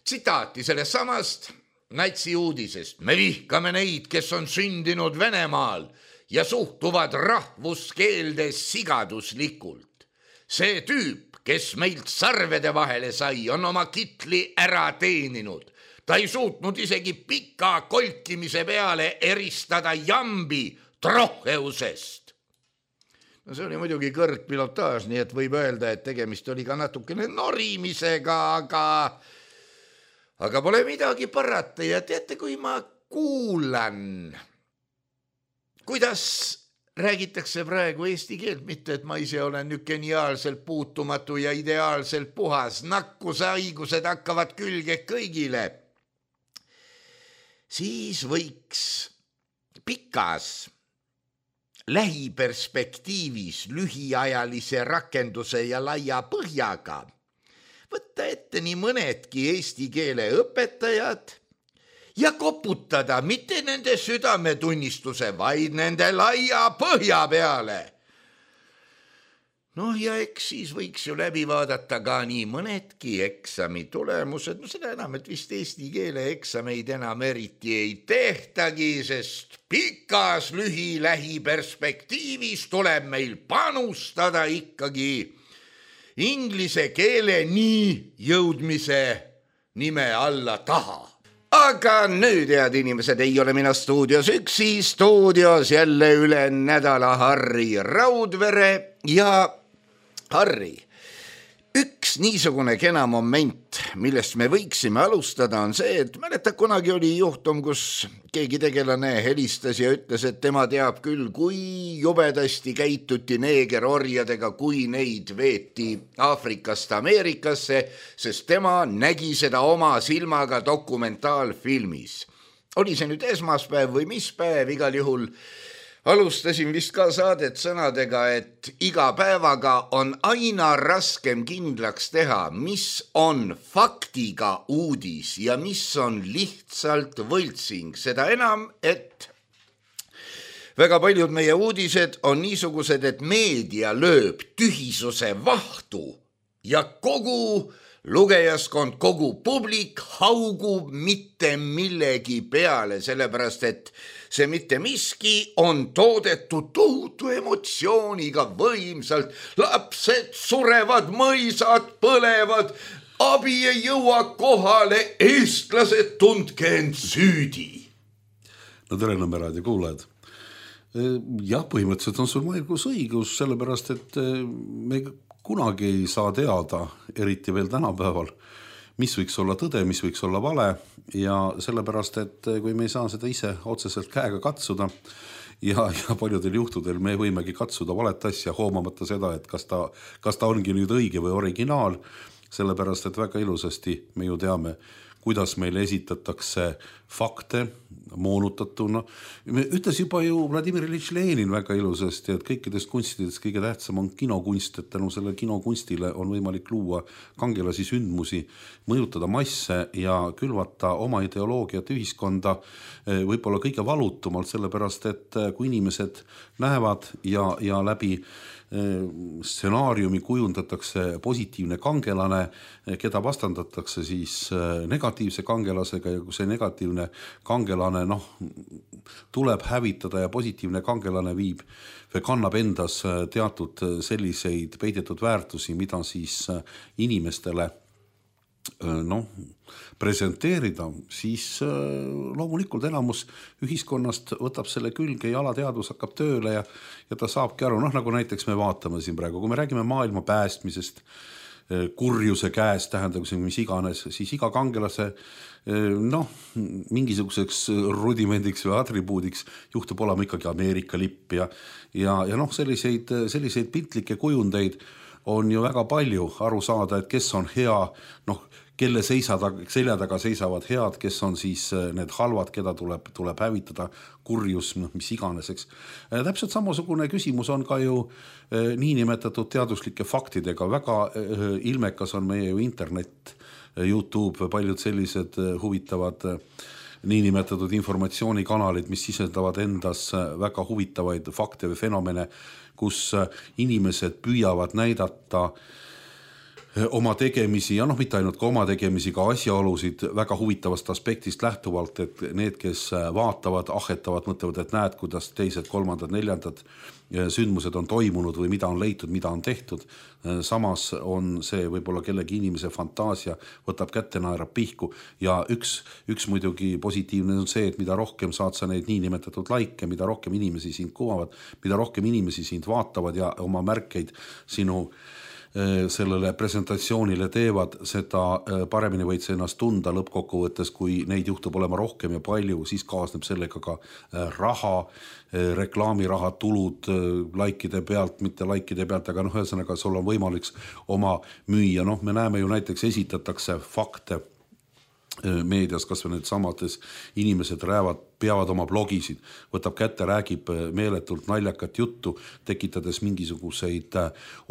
Speaker 3: tsitaati sellest samast natsi uudisest. Me vihkame neid, kes on sündinud Venemaal ja suhtuvad rahvuskeelde sigaduslikult. See tüüp, kes meilt sarvede vahele sai, on oma kitli ära teeninud. Ta ei suutnud isegi pika kolkimise peale eristada jambi troheusest. See oli muidugi kõrgpilotaaž, nii et võib öelda, et tegemist oli ka natukene norimisega, aga pole midagi parata ja teate, kui ma kuulan, kuidas räägitakse praegu eesti keelt, mitte et ma ise olen nüüd geniaalselt puutumatu ja ideaalselt puhas, nakkushaigused hakkavad külge kõigile, siis võiks pikas lähiperspektiivis lühiajalise rakenduse ja laia põhjaga võtta ette nii mõnedki eesti keele õpetajad ja koputada mitte nende südametunnistuse, vaid nende laia põhja peale. Ja eks siis võiks ju läbi vaadata ka nii mõnedki eksami tulemused, seda enam, et vist eesti keele eksameid enam eriti ei tehtagi, sest pikas lähiperspektiivis tuleb meil panustada ikkagi inglise keele nii jõudmise nime alla taha. Aga nüüd, head inimesed, ei ole mina stuudios üksi, stuudios jälle üle nädala Harri Raudvere ja Harri, üks niisugune kena moment, millest me võiksime alustada, on see, et mäletad, kunagi oli juhtum, kus keegi tegelane helistas ja ütles, et tema teab küll, kui jubedasti käituti neegerorjadega, kui neid veeti Aafrikast Ameerikasse, sest tema nägi seda oma silmaga dokumentaalfilmis. Oli see nüüd esmaspäev või mis päev, igal juhul alustasin vist ka saadet sõnadega, et iga päevaga on aina raskem kindlaks teha, mis on faktiga uudis ja mis on lihtsalt võltsing. Seda enam, et väga paljud meie uudised on niisugused, et meedia lööb tühisuse vahtu ja kogu lugejaskond, kogu publik haugub mitte millegi peale, sellepärast et see mitte miski on toodetud tohutu emotsiooniga võimsalt. Lapsed surevad, mõisad põlevad, abi ei jõua kohale, eestlased tundke end süüdi.
Speaker 4: Tere, Nõmme kuulajad. Jah, põhimõtteliselt on sul mõelgus õigus, sellepärast et me kunagi ei saa teada, eriti veel tänapäeval, mis võiks olla tõde, mis võiks olla vale ja sellepärast, et kui me ei saa seda ise otseselt käega katsuda ja paljudel juhtudel me võimegi katsuda valet asja, hoomamata seda, et kas ta ongi nüüd õige või originaal, sellepärast, et väga ilusasti me ju teame, kuidas meile esitatakse fakte moonutatuna. Ütles juba ju Vladimir Iljitš Lenin väga ilusasti, et kõikidest kunstidest kõige tähtsam on kinokunst, et tänu selle kinokunstile on võimalik luua kangelasi sündmusi, mõjutada masse ja külvata oma ideoloogiat ühiskonda võib-olla kõige valutumalt, sellepärast et kui inimesed näevad ja läbi stsenaariumi kujundatakse positiivne kangelane, keda vastandatakse siis negatiivse kangelasega ja kui see negatiivne kangelane tuleb hävitada ja positiivne kangelane viib või kannab endas teatud selliseid peidetud väärtusi, mida siis inimestele presenteerida, siis loomulikult enamus ühiskonnast võtab selle külge ja alateadvus hakkab tööle ja ta saabki aru, nagu näiteks me vaatame siin praegu, kui me räägime maailma päästmisest, kurjuse käest, tähendab mis iganes, siis iga kangelase mingisuguseks rudimendiks või atribuudiks juhtub olema ikkagi Ameerika lipp ja selliseid piltlikke kujundeid on ju väga palju aru saada, et kes on hea, kelle selja taga seisavad head, kes on siis need halvad, keda tuleb hävitada, kurjus, mis iganes, eks. Täpselt samasugune küsimus on ka ju niinimetatud teaduslike faktidega. Väga ilmekas on meie ju internet, YouTube, paljud sellised huvitavad niinimetatud informatsioonikanalid, mis sisendavad endas väga huvitavaid fakte või fenomene, kus inimesed püüavad näidata oma tegemisi ja mitte ainult ka oma tegemisi, ka asjaolusid väga huvitavast aspektist lähtuvalt, et need, kes vaatavad, ahetavad, mõtlevad, et näed, kuidas teised, kolmandad, neljandad sündmused on toimunud või mida on leitud, mida on tehtud. Samas on see võib-olla kellegi inimese fantaasia, võtab kätte, naerab pihku ja üks muidugi positiivne on see, et mida rohkem saad sa neid niinimetatud laike, mida rohkem inimesi sind kuvavad, mida rohkem inimesi sind vaatavad ja oma märkeid sinu sellele presentatsioonile teevad, seda paremini võid sa ennast tunda lõppkokkuvõttes, kui neid juhtub olema rohkem ja palju, siis kaasneb sellega ka raha, reklaamiraha, tulud laikide pealt, mitte laikide pealt, aga ühesõnaga sul on võimalik oma müüa. Me näeme ju näiteks esitatakse fakte meedias, kas või need samades inimesed peavad oma blogisid, võtab kätte, räägib meeletult naljakat juttu, tekitades mingisuguseid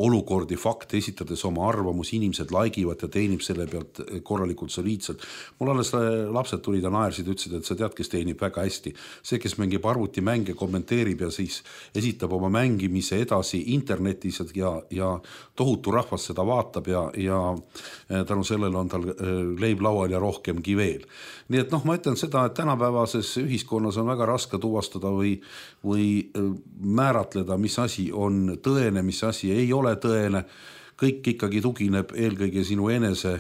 Speaker 4: olukordi, fakte, esitades oma arvamusi, inimesed laigivad ja teenib selle pealt korralikult soliidselt. Mul alles lapsed tulid ja naersid, ütlesid, et sa tead, kes teenib väga hästi. See, kes mängib arvutimänge, kommenteerib ja siis esitab oma mängimise edasi internetis ja tohutu rahvas seda vaatab ja tänu sellele on tal leib laual ja rohkemgi veel. Nii et ma ütlen seda, et tänapäevases ühiskonnas on väga raske tuvastada või määratleda, mis asi on tõene, mis asi ei ole tõene. Kõik ikkagi tugineb eelkõige sinu enese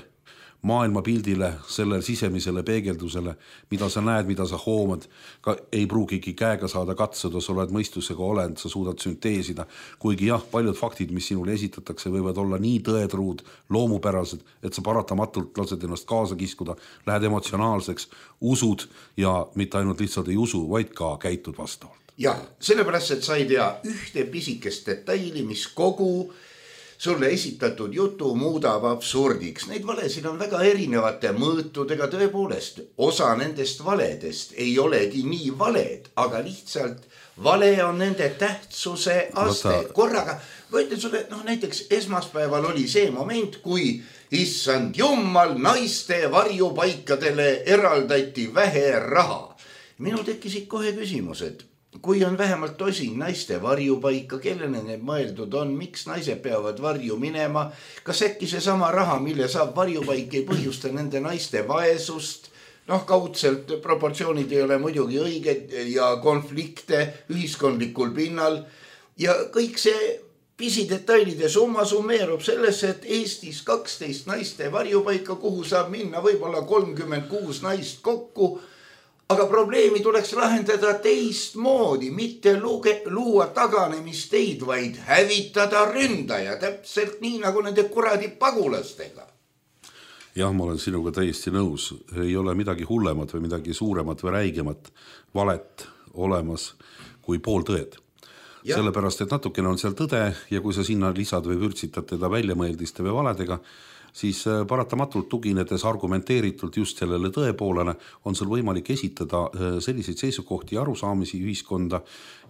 Speaker 4: maailmapildile, selle sisemisele peegeldusele, mida sa näed, mida sa hoomad, ka ei pruugigi käega saada katsuda, sa oled mõistusega olend, sa suudad sünteesida, kuigi paljud faktid, mis sinule esitatakse, võivad olla nii tõetruud, loomupärased, et sa paratamatult lased ennast kaasa kiskuda, lähed emotsionaalseks, usud ja mitte ainult lihtsalt ei usu, vaid ka käitud vastavalt.
Speaker 3: Ja, sellepärast, et sa ei tea ühte pisikest detaili, mis kogu sulle esitatud jutu muudab absurdiks. Neid valesid on väga erinevate mõõtudega, tõepoolest. Osa nendest valedest ei olegi nii valed, aga lihtsalt vale on nende tähtsuse aste. Korraga, ma ütlen sulle, näiteks esmaspäeval oli see moment, kui issand jummal naiste varjupaikadele eraldati vähe raha. Minul tekkisid kohe küsimused. Kui on vähemalt tosin naiste varjupaika, kellele need mõeldud on, miks naised peavad varju minema, kas äkki see sama raha, mille saab varjupaik, ei põhjusta nende naiste vaesust, kaudselt proportsioonid ei ole muidugi õiged ja konflikte ühiskondlikul pinnal ja kõik see pisidetailide summa summeerub sellesse, et Eestis 12 naiste varjupaika, kuhu saab minna võib-olla 36 naist kokku. Aga probleemi tuleks lahendada teistmoodi, mitte luua taganemisteid, vaid hävitada ründaja, täpselt nii nagu nende kuradi pagulastega.
Speaker 4: Jah, ma olen sinuga täiesti nõus. Ei ole midagi hullemat või midagi suuremat või räigemat valet olemas kui pooltõed. sellepärast, et natukene on seal tõde ja kui sa sinna lisad või vürtsitad teda väljamõeldiste või valedega, siis paratamatult tuginedes argumenteeritult just sellele tõepoolele on sul võimalik esitada selliseid seisukohti ja arusaamisi ühiskonda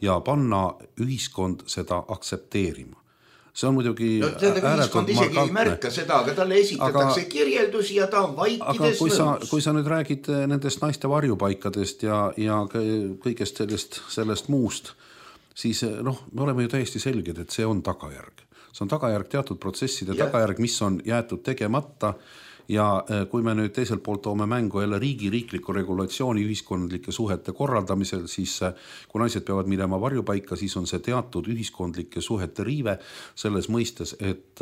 Speaker 4: ja panna ühiskond seda aktsepteerima. See on muidugi
Speaker 3: ühiskond isegi ei märka seda, aga talle esitatakse kirjeldusi ja ta on vaikides nõus.
Speaker 4: Kui sa nüüd räägid nendest naiste varjupaikadest ja kõigest sellest muust, siis me oleme ju täiesti selged, et see on tagajärg. See on tagajärg teatud protsesside tagajärg, mis on jäetud tegemata ja kui me nüüd teiselt poolt toome mängu jälle riikliku regulatsiooni ühiskondlike suhete korraldamisel, siis kui naised peavad minema varjupaika, siis on see teatud ühiskondlike suhete riive selles mõistes, et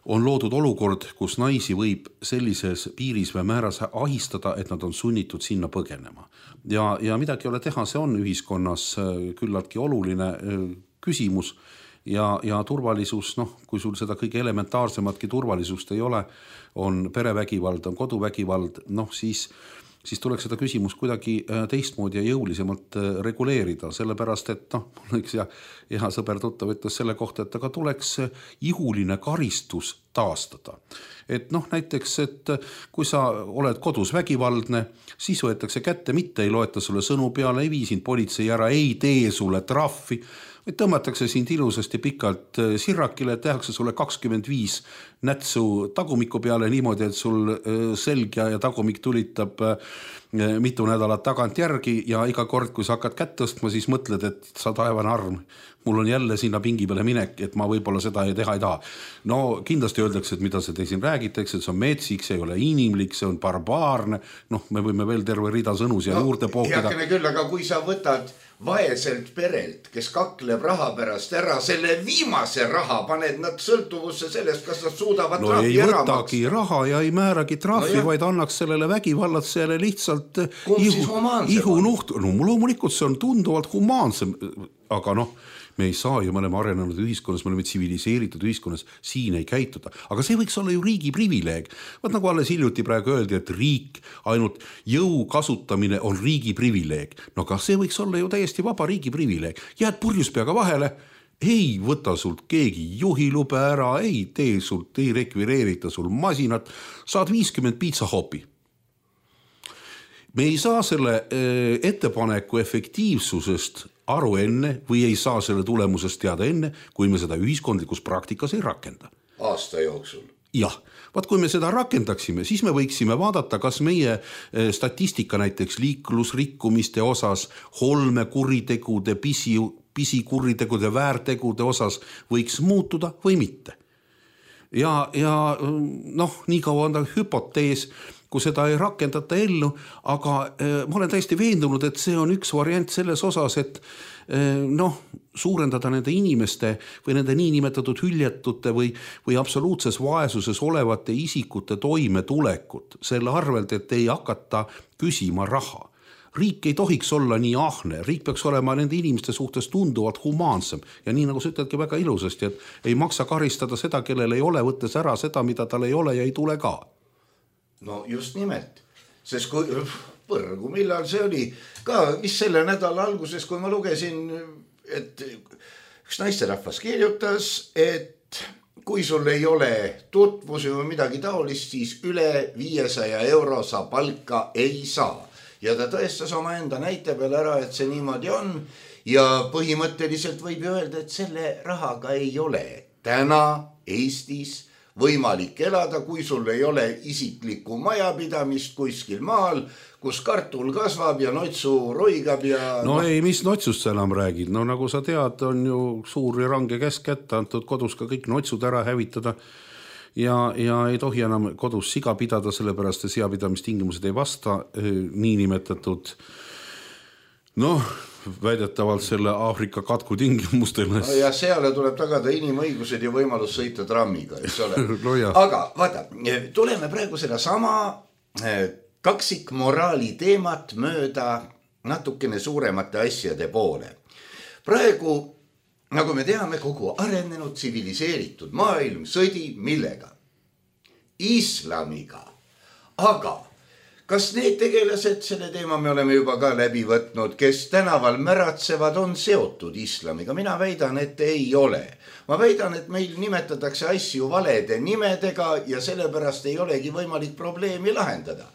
Speaker 4: on loodud olukord, kus naisi võib sellises piiris või määras ahistada, et nad on sunnitud sinna põgenema. Ja midagi ei ole teha, see on ühiskonnas küllaltki oluline küsimus ja turvalisus, kui sul seda kõige elementaarsematki turvalisust ei ole, on perevägivald, on koduvägivald, siis tuleks seda küsimus kuidagi teistmoodi ja jõulisemalt reguleerida, sellepärast, et üks hea sõber tuttav ütles selle kohta, et aga tuleks ihuline karistus taastada. Et näiteks, et kui sa oled kodus vägivaldne, siis võetakse kätte, mitte ei loeta sulle sõnu peale, ei vii sind politsei ära, ei tee sulle trahvi, või tõmmatakse sind ilusasti pikalt sirrakile, tehakse sulle 25 nätsu tagumiku peale niimoodi, et sul selg ja tagumik tulitab mitu nädalat tagant järgi ja iga kord, kui sa hakkad kätt tõstma, siis mõtled, et sa taevane arm, mul on jälle sinna pingi peale minek, et ma võib-olla seda teha ei taha. No kindlasti öeldakse, et mida te siin räägitakse, et see on metsik, see ei ole inimlik, see on barbaarne, me võime veel terve rida sõnu siia juurde pookida.
Speaker 3: Heakene küll, aga kui sa võtad vaeselt perelt, kes kakleb raha pärast ära, selle viimase raha paned nad sõltuvusse sellest, kas nad suudavad trahvi ära maksta.
Speaker 4: No ei võtagi raha ja ei määragi trahvi, vaid annaks sellele vägivallatsejale lihtsalt ihunuht. No loomulikult see on tunduvalt humaansem, aga me ei saa ju, me oleme arenenud ühiskonnas, me oleme tsiviliseeritud ühiskonnas, siin ei käituda. Aga see võiks olla ju riigi privileeg. Vaat nagu alles hiljuti praegu öeldi, et riik, ainult jõu kasutamine on riigi privileeg. No aga see võiks olla ju täiesti vaba riigi privileeg. Jääd purjus peaga vahele, ei võta sult keegi juhilube ära, ei tee sult, ei rekvireerita sul masinat, saad 50 piitsahopi. Me ei saa selle ettepaneku efektiivsusest aru enne või ei saa selle tulemusest teada enne, kui me seda ühiskondlikus praktikas ei rakenda.
Speaker 3: Aasta jooksul.
Speaker 4: Jah, vaat kui me seda rakendaksime, siis me võiksime vaadata, kas meie statistika näiteks liiklusrikkumiste osas, holmekuritegude, pisikuritegude, väärtegude osas võiks muutuda või mitte. Ja nii kaua on ta hüpotees, kui seda ei rakendata ellu, aga ma olen täiesti veendunud, et see on üks variant selles osas, et suurendada nende inimeste või nende niinimetatud hüljatute või absoluutses vaesuses olevate isikute toimetulekut selle arvelt, et ei hakata küsima raha. Riik ei tohiks olla nii ahne, riik peaks olema nende inimeste suhtes tunduvalt humaansem ja nii nagu sa ütledki väga ilusasti, et ei maksa karistada seda, kellel ei ole, võttes ära seda, mida tal ei ole ja ei tule ka.
Speaker 3: No just nimelt, sest kui põrgu, millal see oli ka, mis selle nädala alguses, kui ma lugesin, et üks naisterahvas kirjutas, et kui sul ei ole tutvusi või midagi taolist, siis üle 500 euro sa palka ei saa. Ja ta tõestas oma enda näite peale ära, et see niimoodi on ja põhimõtteliselt võib öelda, et selle rahaga ei ole täna Eestis võimalik elada, kui sul ei ole isiklikku majapidamist kuskil maal, kus kartul kasvab ja notsu roigab ja...
Speaker 4: No ei, mis notsust sa enam räägid? No nagu sa tead, on ju suur ja range käsk kätte antud kodus ka kõik notsud ära hävitada ja ei tohi enam kodus siga pidada, sellepärast et seapidamistingimused ei vasta niinimetatud väidetavalt selle Aafrika katku tingimustele.
Speaker 3: Ja seale tuleb tagada inimõigused ja võimalus sõita trammiga, eks ole. Aga vaata, tuleme praegu seda sama kaksikmoraali teemat mööda natukene suuremate asjade poole. Praegu, nagu me teame, kogu arenenud tsiviliseeritud maailm sõdi millega? Islamiga. Aga kas need tegelased, selle teema me oleme juba ka läbi võtnud, kes tänaval märatsevad, on seotud islamiga? Mina väidan, et ei ole. Ma väidan, et meil nimetatakse asju valede nimedega ja sellepärast ei olegi võimalik probleemi lahendada.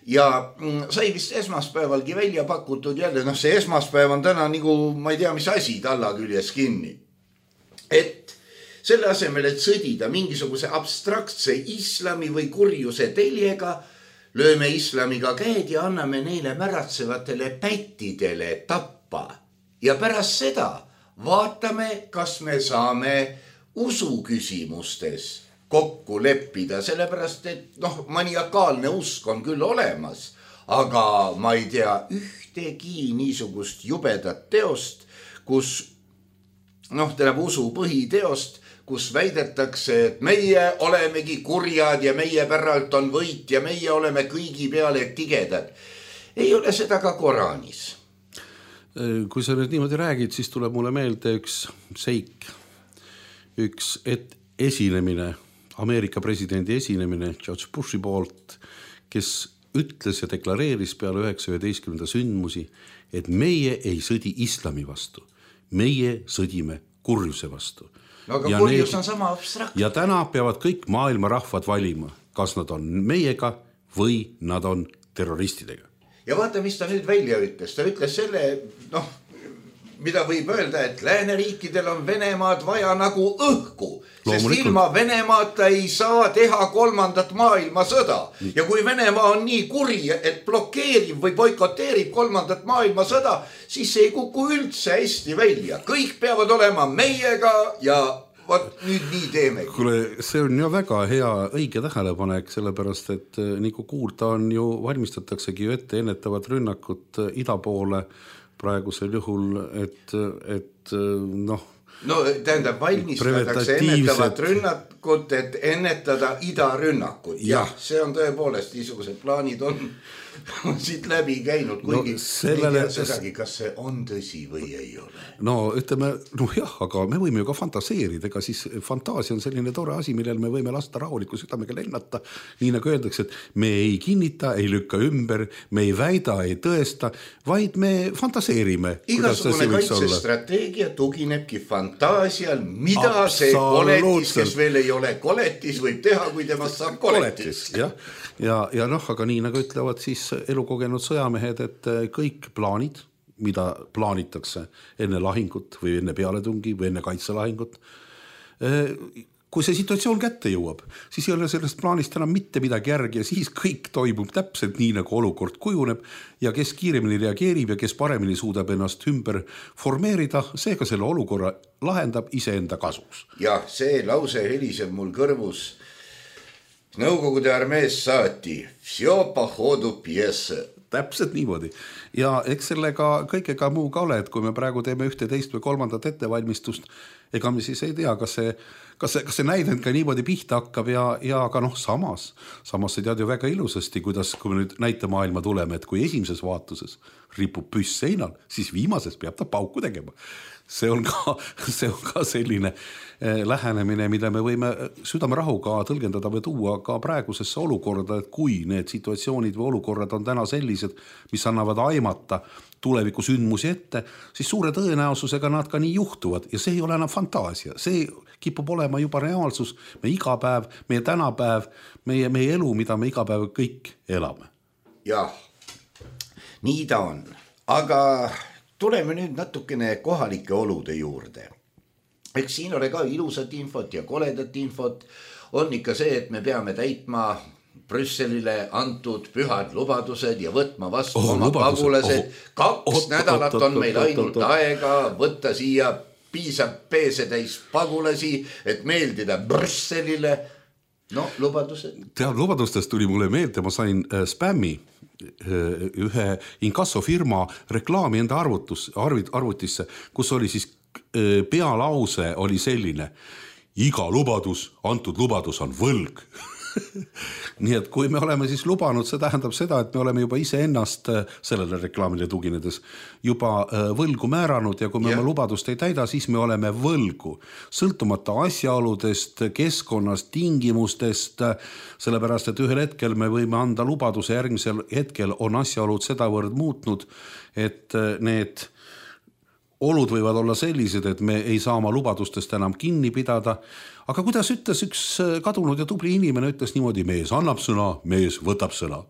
Speaker 3: Ja sai vist esmaspäevalgi välja pakutud jälle, see esmaspäev on täna nagu, ma ei tea, mis asi talla küljes kinni. Et selle asemel, et sõdida mingisuguse abstraktse islami või kurjuse teljega, lööme islamiga käed ja anname neile märatsevatele pättidele tappa. Ja pärast seda vaatame, kas me saame usuküsimustes kokku leppida, sellepärast, et maniakaalne usk on küll olemas, aga ma ei tea ühtegi niisugust jubedat teost, kus tähendab usu põhiteost, kus väidetakse, et meie olemegi kurjad ja meie päralt on võit ja meie oleme kõigi peale tigedad. Ei ole seda ka Koraanis.
Speaker 4: Kui sa nüüd niimoodi räägid, siis tuleb mulle meelde üks seik, üks esinemine, Ameerika presidendi esinemine George Bushi poolt, kes ütles ja deklareeris peale 9.11. sündmusi, et meie ei sõdi islami vastu, meie sõdime kurjuse vastu.
Speaker 3: No aga kurjus on sama abstrakt.
Speaker 4: Ja täna peavad kõik maailma rahvad valima, kas nad on meiega või nad on terroristidega.
Speaker 3: Ja vaata, mis ta nüüd välja ütles. Ta ütles selle, mida võib öelda, et lääneriikidel on Venemaad vaja nagu õhku. Sest ilma Venemaata ei saa teha 3. maailmasõda. Ja kui Venemaa on nii kuri, et blokeerib või boikoteerib 3. maailmasõda, siis ei kuku üldse hästi välja. Kõik peavad olema meiega ja nüüd nii teemegi.
Speaker 4: Kuule, see on ju väga hea õige tähelepanek, sellepärast, et nagu kuulda on ju, valmistataksegi ju ette ennetavat rünnakut ida poole praegusel juhul, et
Speaker 3: tähendab, valmistatakse ennetavat rünnakut, et ennetada idarünnakut. Jah, see on tõepoolest, niisugused plaanid on siit läbi käinud, kuigi ei tea sedagi, kas see on tõsi või ei ole.
Speaker 4: Ütleme, aga me võime ju ka fantaseerida, ega siis fantaasia on selline tore asi, millel me võime lasta rahuliku südamega lennata, nii nagu öeldakse, et me ei kinnita, ei lükka ümber, me ei väida, ei tõesta, vaid me fantaseerime.
Speaker 3: Igasugune kaitsestrateegia tuginebki fantaasial, mida see koletis, kes veel ei ole koletis, võib teha, kui temast saab koletis.
Speaker 4: Ja aga nii nagu ütlevad siis elukogenud sõjamehed, et kõik plaanid, mida plaanitakse enne lahingut või enne pealetungi või enne kaitselahingut, kui see situatsioon kätte jõuab, siis ei ole sellest plaanist enam mitte midagi järgi ja siis kõik toimub täpselt nii, nagu olukord kujuneb ja kes kiiremini reageerib ja kes paremini suudab ennast ümber formeerida, seega selle olukorra lahendab iseenda kasuks.
Speaker 3: Ja see lause heliseb mul kõrvus. Nõukogude armees saati, всё по ходу пьесы.
Speaker 4: Täpselt niimoodi. Ja eks sellega kõigega muu ka ole, et kui me praegu teeme 11 või 3. ettevalmistust, ega me siis ei tea, kas see näidend ka niimoodi pihta hakkab ja aga samas sa tead ju väga ilusasti, kuidas, kui me nüüd näitemaailma tuleme, et kui esimeses vaatuses ripub püss seinal, siis viimases peab ta pauku tegema. See on ka selline lähenemine, mida me võime südamerahuga tõlgendada või tuua ka praegusesse olukorda, et kui need situatsioonid või olukorrad on täna sellised, mis annavad aimata tuleviku sündmusi ette, siis suure tõenäosusega nad ka nii juhtuvad ja see ei ole enam fantaasia, see kipub olema juba reaalsus, me iga päev, meie tänapäev, meie elu, mida me iga päev kõik elame.
Speaker 3: Jah, nii ta on, aga tuleme nüüd natukene kohalike olude juurde. Eks siin ole ka ilusat infot ja koledat infot. On ikka see, et me peame täitma Brüsselile antud pühad lubadused ja võtma vastu oma pagulased. 2 nädalat on meil ainult aega võtta siia piisab peesetäis pagulasi, et meeldida Brüsselile. Lubadused.
Speaker 4: Lubadustest tuli mulle meelde, ma sain spämmi ühe inkassofirma reklaami enda arvutisse, kus oli siis pealause oli selline: iga lubadus, antud lubadus on võlg. nii et kui me oleme siis lubanud, see tähendab seda, et me oleme juba iseennast sellele reklaamile tuginedes juba võlgu määranud ja kui me oma lubadust ei täida, siis me oleme võlgu. Sõltumata asjaoludest, keskkonnast, tingimustest, sellepärast, et ühel hetkel me võime anda lubaduse, järgmisel hetkel on asjaolud sedavõrd muutnud, et need olud võivad olla sellised, et me ei saa oma lubadustest enam kinni pidada. Aga kuidas ütles üks kadunud ja tubli inimene, ütles niimoodi, mees annab sõna, mees võtab sõna.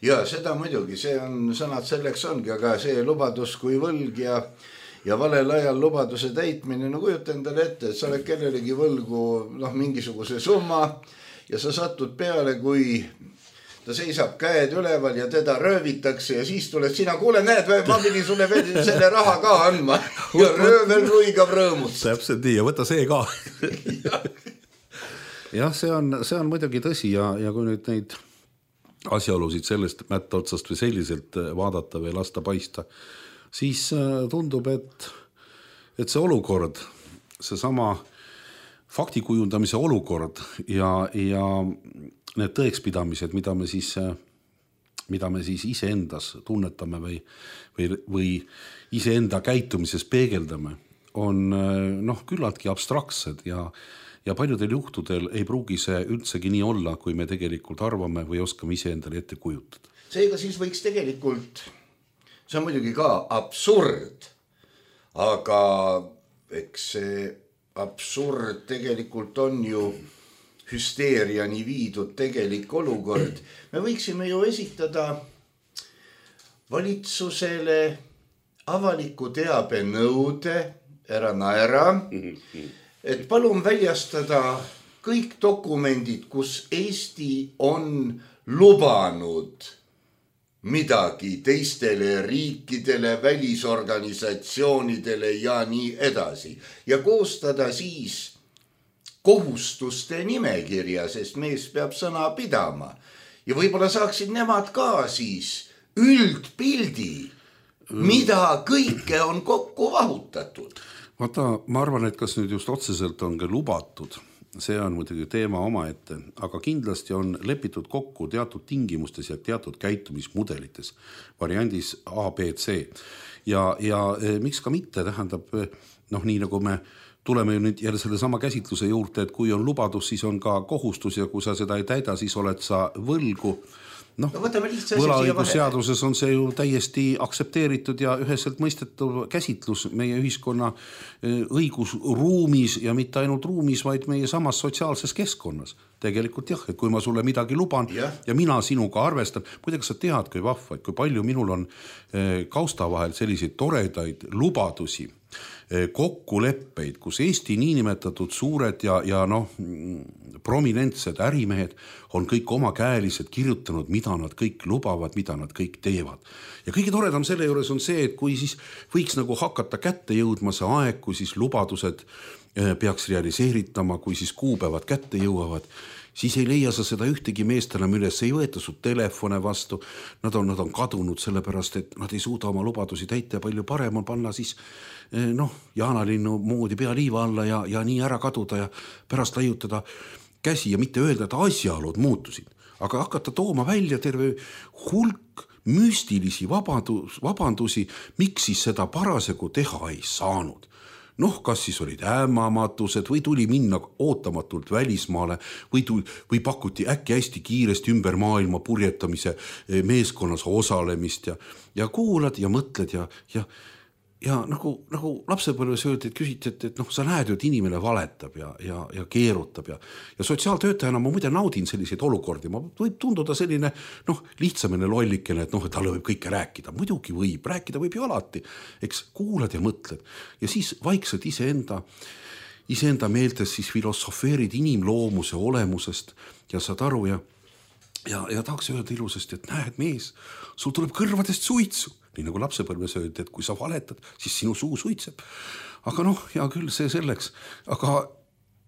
Speaker 3: Ja seda muidugi, see on sõnad selleks ongi, aga see lubadus kui võlg ja valel ajal lubaduse täitmine, no kujuta endale ette, et sa oled kellelegi võlgu mingisuguse summa ja sa satud peale, kui ta seisab käed üleval ja teda röövitakse ja siis tuled sina, kuule näed, ma pidin sulle veel selle raha ka andma ja röövel ruigab rõõmust.
Speaker 4: Täpselt nii ja võta see ka. jah, see on muidugi tõsi ja kui nüüd neid asjaolusid sellest mätta otsast või selliselt vaadata või lasta paista, siis tundub, et see olukord, see sama faktikujundamise olukord ja need tõekspidamised, mida me siis iseendas tunnetame või iseenda käitumises peegeldame, on küllaltki abstraktsed ja paljudel juhtudel ei pruugi see üldsegi nii olla, kui me tegelikult arvame või oskame iseendale ette kujutada.
Speaker 3: Seega siis võiks tegelikult, see on muidugi ka absurd, aga eks see absurd tegelikult on ju hüsteeriani viidud tegelik olukord. Me võiksime ju esitada valitsusele avaliku teabe nõude, ära naera, et palun väljastada kõik dokumendid, kus Eesti on lubanud midagi teistele riikidele, välisorganisatsioonidele ja nii edasi. Ja koostada siis kohustuste nimekirja, sest mees peab sõna pidama. Ja võib-olla saaksid nemad ka siis üldpildi, mida kõike on kokku vahutatud.
Speaker 4: Vaata, ma arvan, et kas nüüd just otseselt on ka lubatud, see on muidugi teema omaette, aga kindlasti on lepitud kokku teatud tingimustes ja teatud käitumismudelites, variandis A, B, C. Ja miks ka mitte, tähendab, nii nagu me tuleme ju nüüd jälle selle sama käsitluse juurde, et kui on lubadus, siis on ka kohustus ja kui sa seda ei täida, siis oled sa võlgu. Võlaõigusseaduses on see ju täiesti aktsepteeritud ja üheselt mõistetav käsitlus meie ühiskonna õigusruumis ja mitte ainult ruumis, vaid meie samas sotsiaalses keskkonnas. Tegelikult jah, et kui ma sulle midagi luban ja mina sinuga arvestan, muideks sa tead, kui vahva, kui palju minul on kausta vahel selliseid toredaid lubadusi, kokkuleppeid, kus Eesti niinimetatud suured ja prominentsed ärimehed on kõik omakäelised kirjutanud, mida nad kõik lubavad, mida nad kõik teevad. Ja kõige toredam selle juures on see, et kui siis võiks nagu hakata kätte jõudma see aeg, kui siis lubadused peaks realiseeritama, kui siis kuupäevad kätte jõuavad, siis ei leia sa seda ühtegi meest enam üles, ei võeta su telefone vastu, nad on kadunud sellepärast, et nad ei suuda oma lubadusi täita ja palju parem on panna siis Jaanalinnu moodi pea liiva alla ja nii ära kaduda ja pärast laiutada käsi ja mitte öelda, et asjaolud muutusid, aga hakata tooma välja terve hulk müstilisi vabandusi, miks siis seda parasjagu teha ei saanud. Kas siis olid ämamatused või tuli minna ootamatult välismaale või pakuti äkki hästi kiiresti ümber maailma purjetamise meeskonnas osalemist ja kuulad ja mõtled ja nagu lapsepõlves öeldi, et küsiti, et sa näed ju, et inimene valetab ja keerutab ja sotsiaaltöötajana ma muide naudin selliseid olukordi, ma võib tunduda selline lihtsamine lollikene, et talle võib kõike rääkida, muidugi võib, rääkida võib ju alati, eks kuulad ja mõtled ja siis vaikselt iseenda meeltes siis filosofeerid inimloomuse olemusest ja saad aru ja tahaks öelda ilusasti, et näed mees, sul tuleb kõrvadest suitsu. Nii nagu lapsepõlves öeldi, et kui sa valetad, siis sinu suu suitseb. Aga hea küll, see selleks. Aga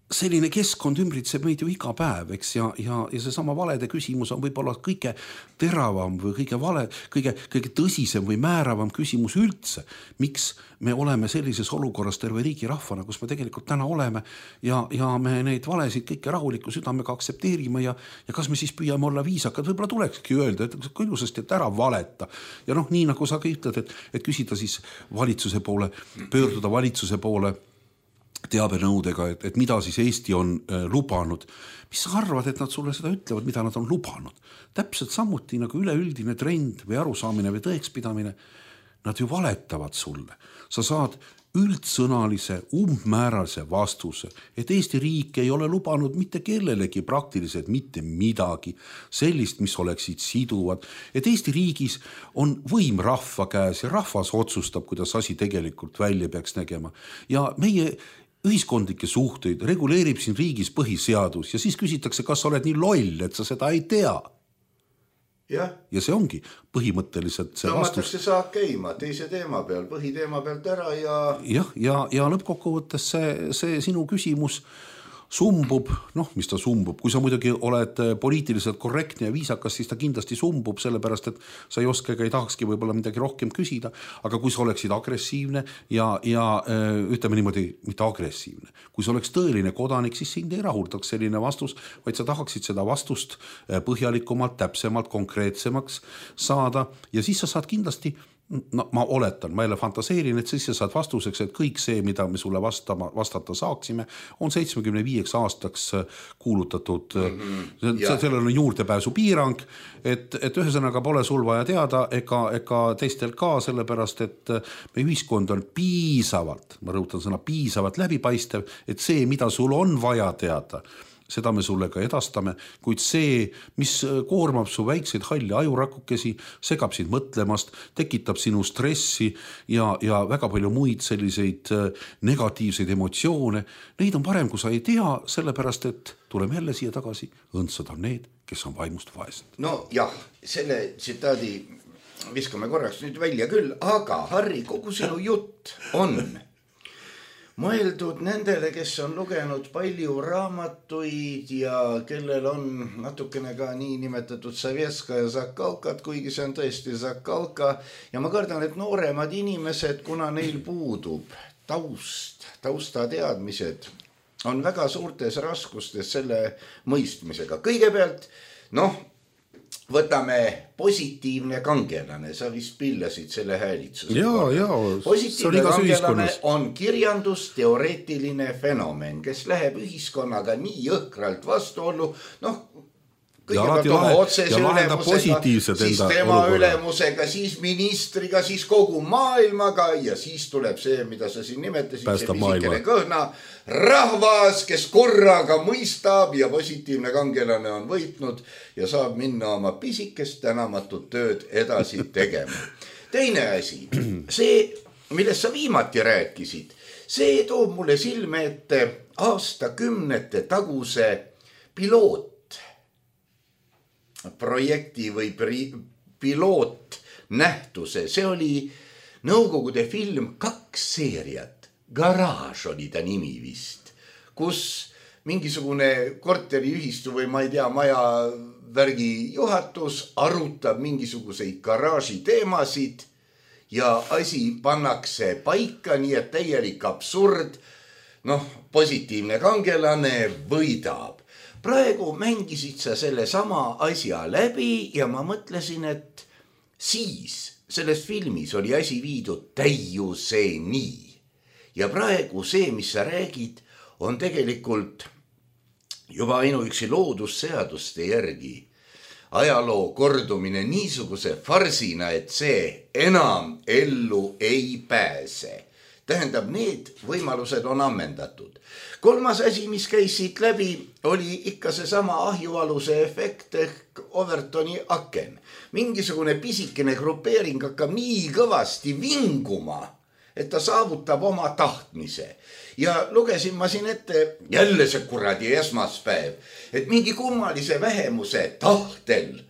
Speaker 4: selline keskkond ümbritseb meid ju iga päev, eks, ja seesama valede küsimus on võib-olla kõige teravam või kõige tõsisem või määravam küsimus üldse. Miks me oleme sellises olukorras terve riigi rahvana, kus me tegelikult täna oleme ja me neid valesid kõike rahuliku südamega aksepteerime ja kas me siis püüame olla viisakad, võib-olla tulekski öelda, et ilusasti, et ära valeta. Ja nii nagu sa ka ütled, et küsida siis valitsuse poole, pöörduda valitsuse poole teabenõudega, et mida siis Eesti on lubanud. Mis sa arvad, et nad sulle seda ütlevad, mida nad on lubanud? Täpselt samuti nagu üleüldine trend või arusaamine või tõekspidamine, nad ju valetavad sulle. Sa saad üldsõnalise, umbmääralise vastuse, et Eesti riik ei ole lubanud mitte kellelegi praktiliselt mitte midagi sellist, mis oleksid siduvad, et Eesti riigis on võim rahva käes ja rahvas otsustab, kuidas asi tegelikult välja peaks nägema. Ja meie ühiskondlikke suhteid reguleerib siin riigis põhiseadus ja siis küsitakse, kas sa oled nii loll, et sa seda ei tea. Ja see ongi põhimõtteliselt see vastus.
Speaker 3: Tõmmatakse saak käima teise teema peal, põhiteema pealt ära
Speaker 4: ja lõppkokkuvõttes see sinu küsimus sumbub, mis ta sumbub, kui sa muidugi oled poliitiliselt korrektne ja viisakas, siis ta kindlasti sumbub, sellepärast, et sa ei oska ega ei tahakski võib-olla midagi rohkem küsida, aga kui sa oleksid agressiivne ja ütleme niimoodi, mitte agressiivne, kui sa oleks tõeline kodanik, siis sind ei rahuldaks selline vastus, vaid sa tahaksid seda vastust põhjalikumalt, täpsemalt, konkreetsemaks saada ja siis sa saad kindlasti ma oletan, ma jälle fantaseerin, et siis sa saad vastuseks, et kõik see, mida me sulle vastata saaksime, on 75 aastaks kuulutatud. Sellel on juurdepääsu piirang, et ühesõnaga pole sul vaja teada ega teistel ka, sellepärast, et meie ühiskond on piisavalt, ma rõhutan sõna piisavalt läbipaistev, et see, mida sul on vaja teada, seda me sulle ka edastame, kuid see, mis koormab su väikseid halli ajurakukesi, segab sind mõtlemast, tekitab sinu stressi ja väga palju muid selliseid negatiivseid emotsioone, neid on parem, kui sa ei tea, sellepärast, et tuleme jälle siia tagasi, õndsad on need, kes on vaimust vaesed.
Speaker 3: No jah, selle tsitaadi viskame korraks nüüd välja küll, aga Harri, kogu sinu jutt on mõeldud nendele, kes on lugenud palju raamatuid ja kellel on natukene ka nii nimetatud Savjetska ja Zakalkat, kuigi see on tõesti Zakalka. Ja ma kardan, et nooremad inimesed, kuna neil puudub tausta teadmised, on väga suurtes raskustes selle mõistmisega. Kõigepealt, võtame positiivne kangelane, sa vist pillasid selle häälitsuse. Positiivne kangelane on kirjandusteoreetiline fenomen, kes läheb ühiskonnaga nii jõhkralt vastuollu, kõigepealt oma otsese ülemusega, siis tema ülemusega, siis ministriga, siis kogu maailmaga ja siis tuleb see, mida sa siin nimetasid, see pisikene kõhna rahvas, kes korraga mõistab ja positiivne kangelane on võitnud ja saab minna oma pisikest tänamatut tööd edasi tegema. Teine asi, see, millest sa viimati rääkisid, see toob mulle silme ette aastakümnete taguse pilootprojekti või pilootnähtuse. See oli Nõukogude film 2 seeriat. Garaaž oli ta nimi vist, kus mingisugune korteriühistu või ma ei tea, maja värgi juhatus arutab mingisuguseid garaaži teemasid ja asi pannakse paika, nii et täielik absurd, positiivne kangelane võidab. Praegu mängisid sa selle sama asja läbi ja ma mõtlesin, et siis selles filmis oli asi viidud täiuseni. Ja praegu see, mis sa räägid, on tegelikult juba ainuüksi loodusseaduste järgi ajaloo kordumine niisuguse farsina, et see enam ellu ei pääse. Tähendab, need võimalused on ammendatud. Kolmas asi, mis käis siit läbi, oli ikka seesama ahjualuse efekt ehk Overtoni aken. Mingisugune pisikene grupeering hakkab nii kõvasti vinguma, et ta saavutab oma tahtmise. Ja lugesin ma siin ette jälle see kuradi esmaspäev, et mingi kummalise vähemuse tahtel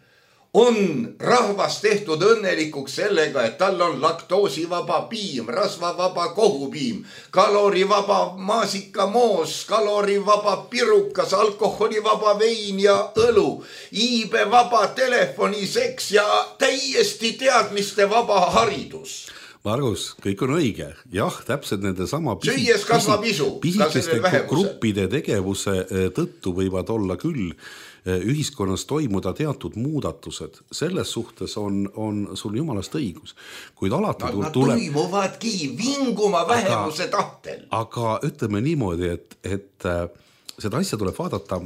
Speaker 3: on rahvas tehtud õnnelikuks sellega, et tal on laktoosivaba piim, rasvavaba kohupiim, kalorivaba maasikamoos, kalorivaba pirukas, alkoholivaba vein ja õlu, iibevaba telefoniseks ja täiesti teadmiste vaba haridus.
Speaker 4: Margus, kõik on õige. Jah, täpselt nende sama
Speaker 3: süües kasvab isu.
Speaker 4: Pisikeste gruppide tegevuse tõttu võivad olla küll ühiskonnas toimuda teatud muudatused. Selles suhtes on sul jumalast õigus. Kuid alati
Speaker 3: nad toimuvadki vinguma vähemuse tahtel.
Speaker 4: Aga ütleme niimoodi, et seda asja tuleb vaadata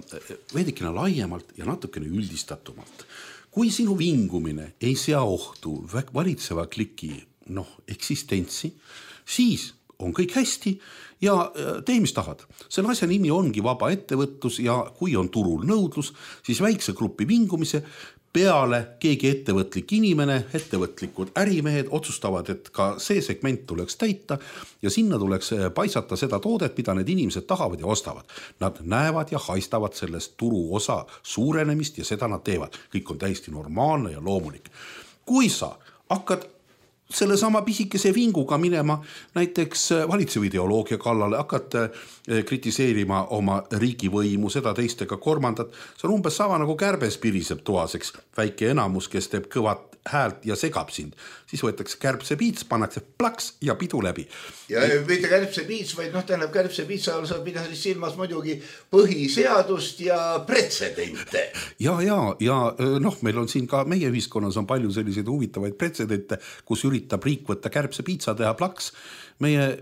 Speaker 4: veidikene laiemalt ja natukene üldistatumalt. Kui sinu vingumine ei sea ohtu valitseva kliki eksistentsi, siis on kõik hästi ja tee, mis tahad. Selle asja nimi ongi vaba ettevõtlus ja kui on turul nõudlus, siis väikse grupi vingumise peale keegi ettevõtlik inimene, ettevõtlikud ärimehed otsustavad, et ka see segment tuleks täita ja sinna tuleks paisata seda toodet, mida need inimesed tahavad ja ostavad. Nad näevad ja haistavad sellest turu osa suurenemist ja seda nad teevad. Kõik on täiesti normaalne ja loomulik. Kui sa hakkad selle sama pisikese vinguga minema näiteks valitseva ideoloogia kallale, hakkad kritiseerima oma riigivõimu, seda teist ega kolmandat. See on umbes sama nagu kärbes piriseb toaseks, väike enamus, kes teeb kõvat häält ja segab sind. Siis võetakse kärbse piits, pannakse plaks ja pidu läbi.
Speaker 3: Ja mitte kärbse piits, vaid tähendab kärbse piitsa all saab pidada silmas muidugi põhiseadust ja pretsedente.
Speaker 4: Ja meil on siin ka meie ühiskonnas on palju selliseid huvitavaid pretsedente, kus üritab riik võtta kärbse piitsa teha plaks. Meie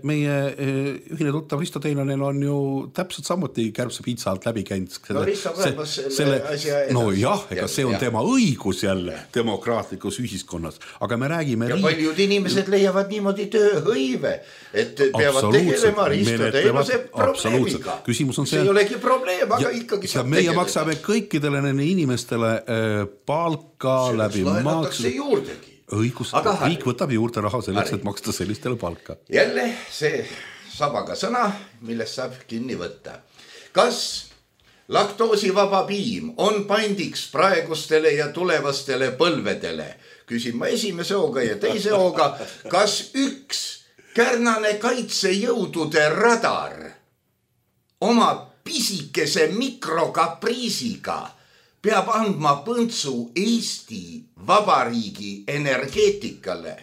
Speaker 4: ühine tuttav Risto Teinanen on ju täpselt samuti kärbse piitsa alt läbi käinud.
Speaker 3: Risto kaebas selle asja edasi.
Speaker 4: Ega see on tema õigus jälle demokraatlikus ühiskonnas. Aga me räägime
Speaker 3: ja paljud inimesed leiavad niimoodi tööhõive, et peavad tegelema Risto Teinase probleemiga. See ei olegi probleem, aga ikkagi saab tegeleda.
Speaker 4: Meie maksame kõikidele nende inimestele palka läbi maksu.
Speaker 3: Juurdegi.
Speaker 4: Õigus, riik võtab juurde raha selleks, et maksta sellistele palka.
Speaker 3: Jälle see sabaga sõna, millest saab kinni võtta. Kas laktoosivaba piim on pandiks praegustele ja tulevastele põlvedele? Küsin ma esimese hooga ja teise hooga. Kas üks Kärnane kaitsejõudude radar oma pisikese mikrokapriisiga peab andma põntsu Eesti Vabariigi energeetikale?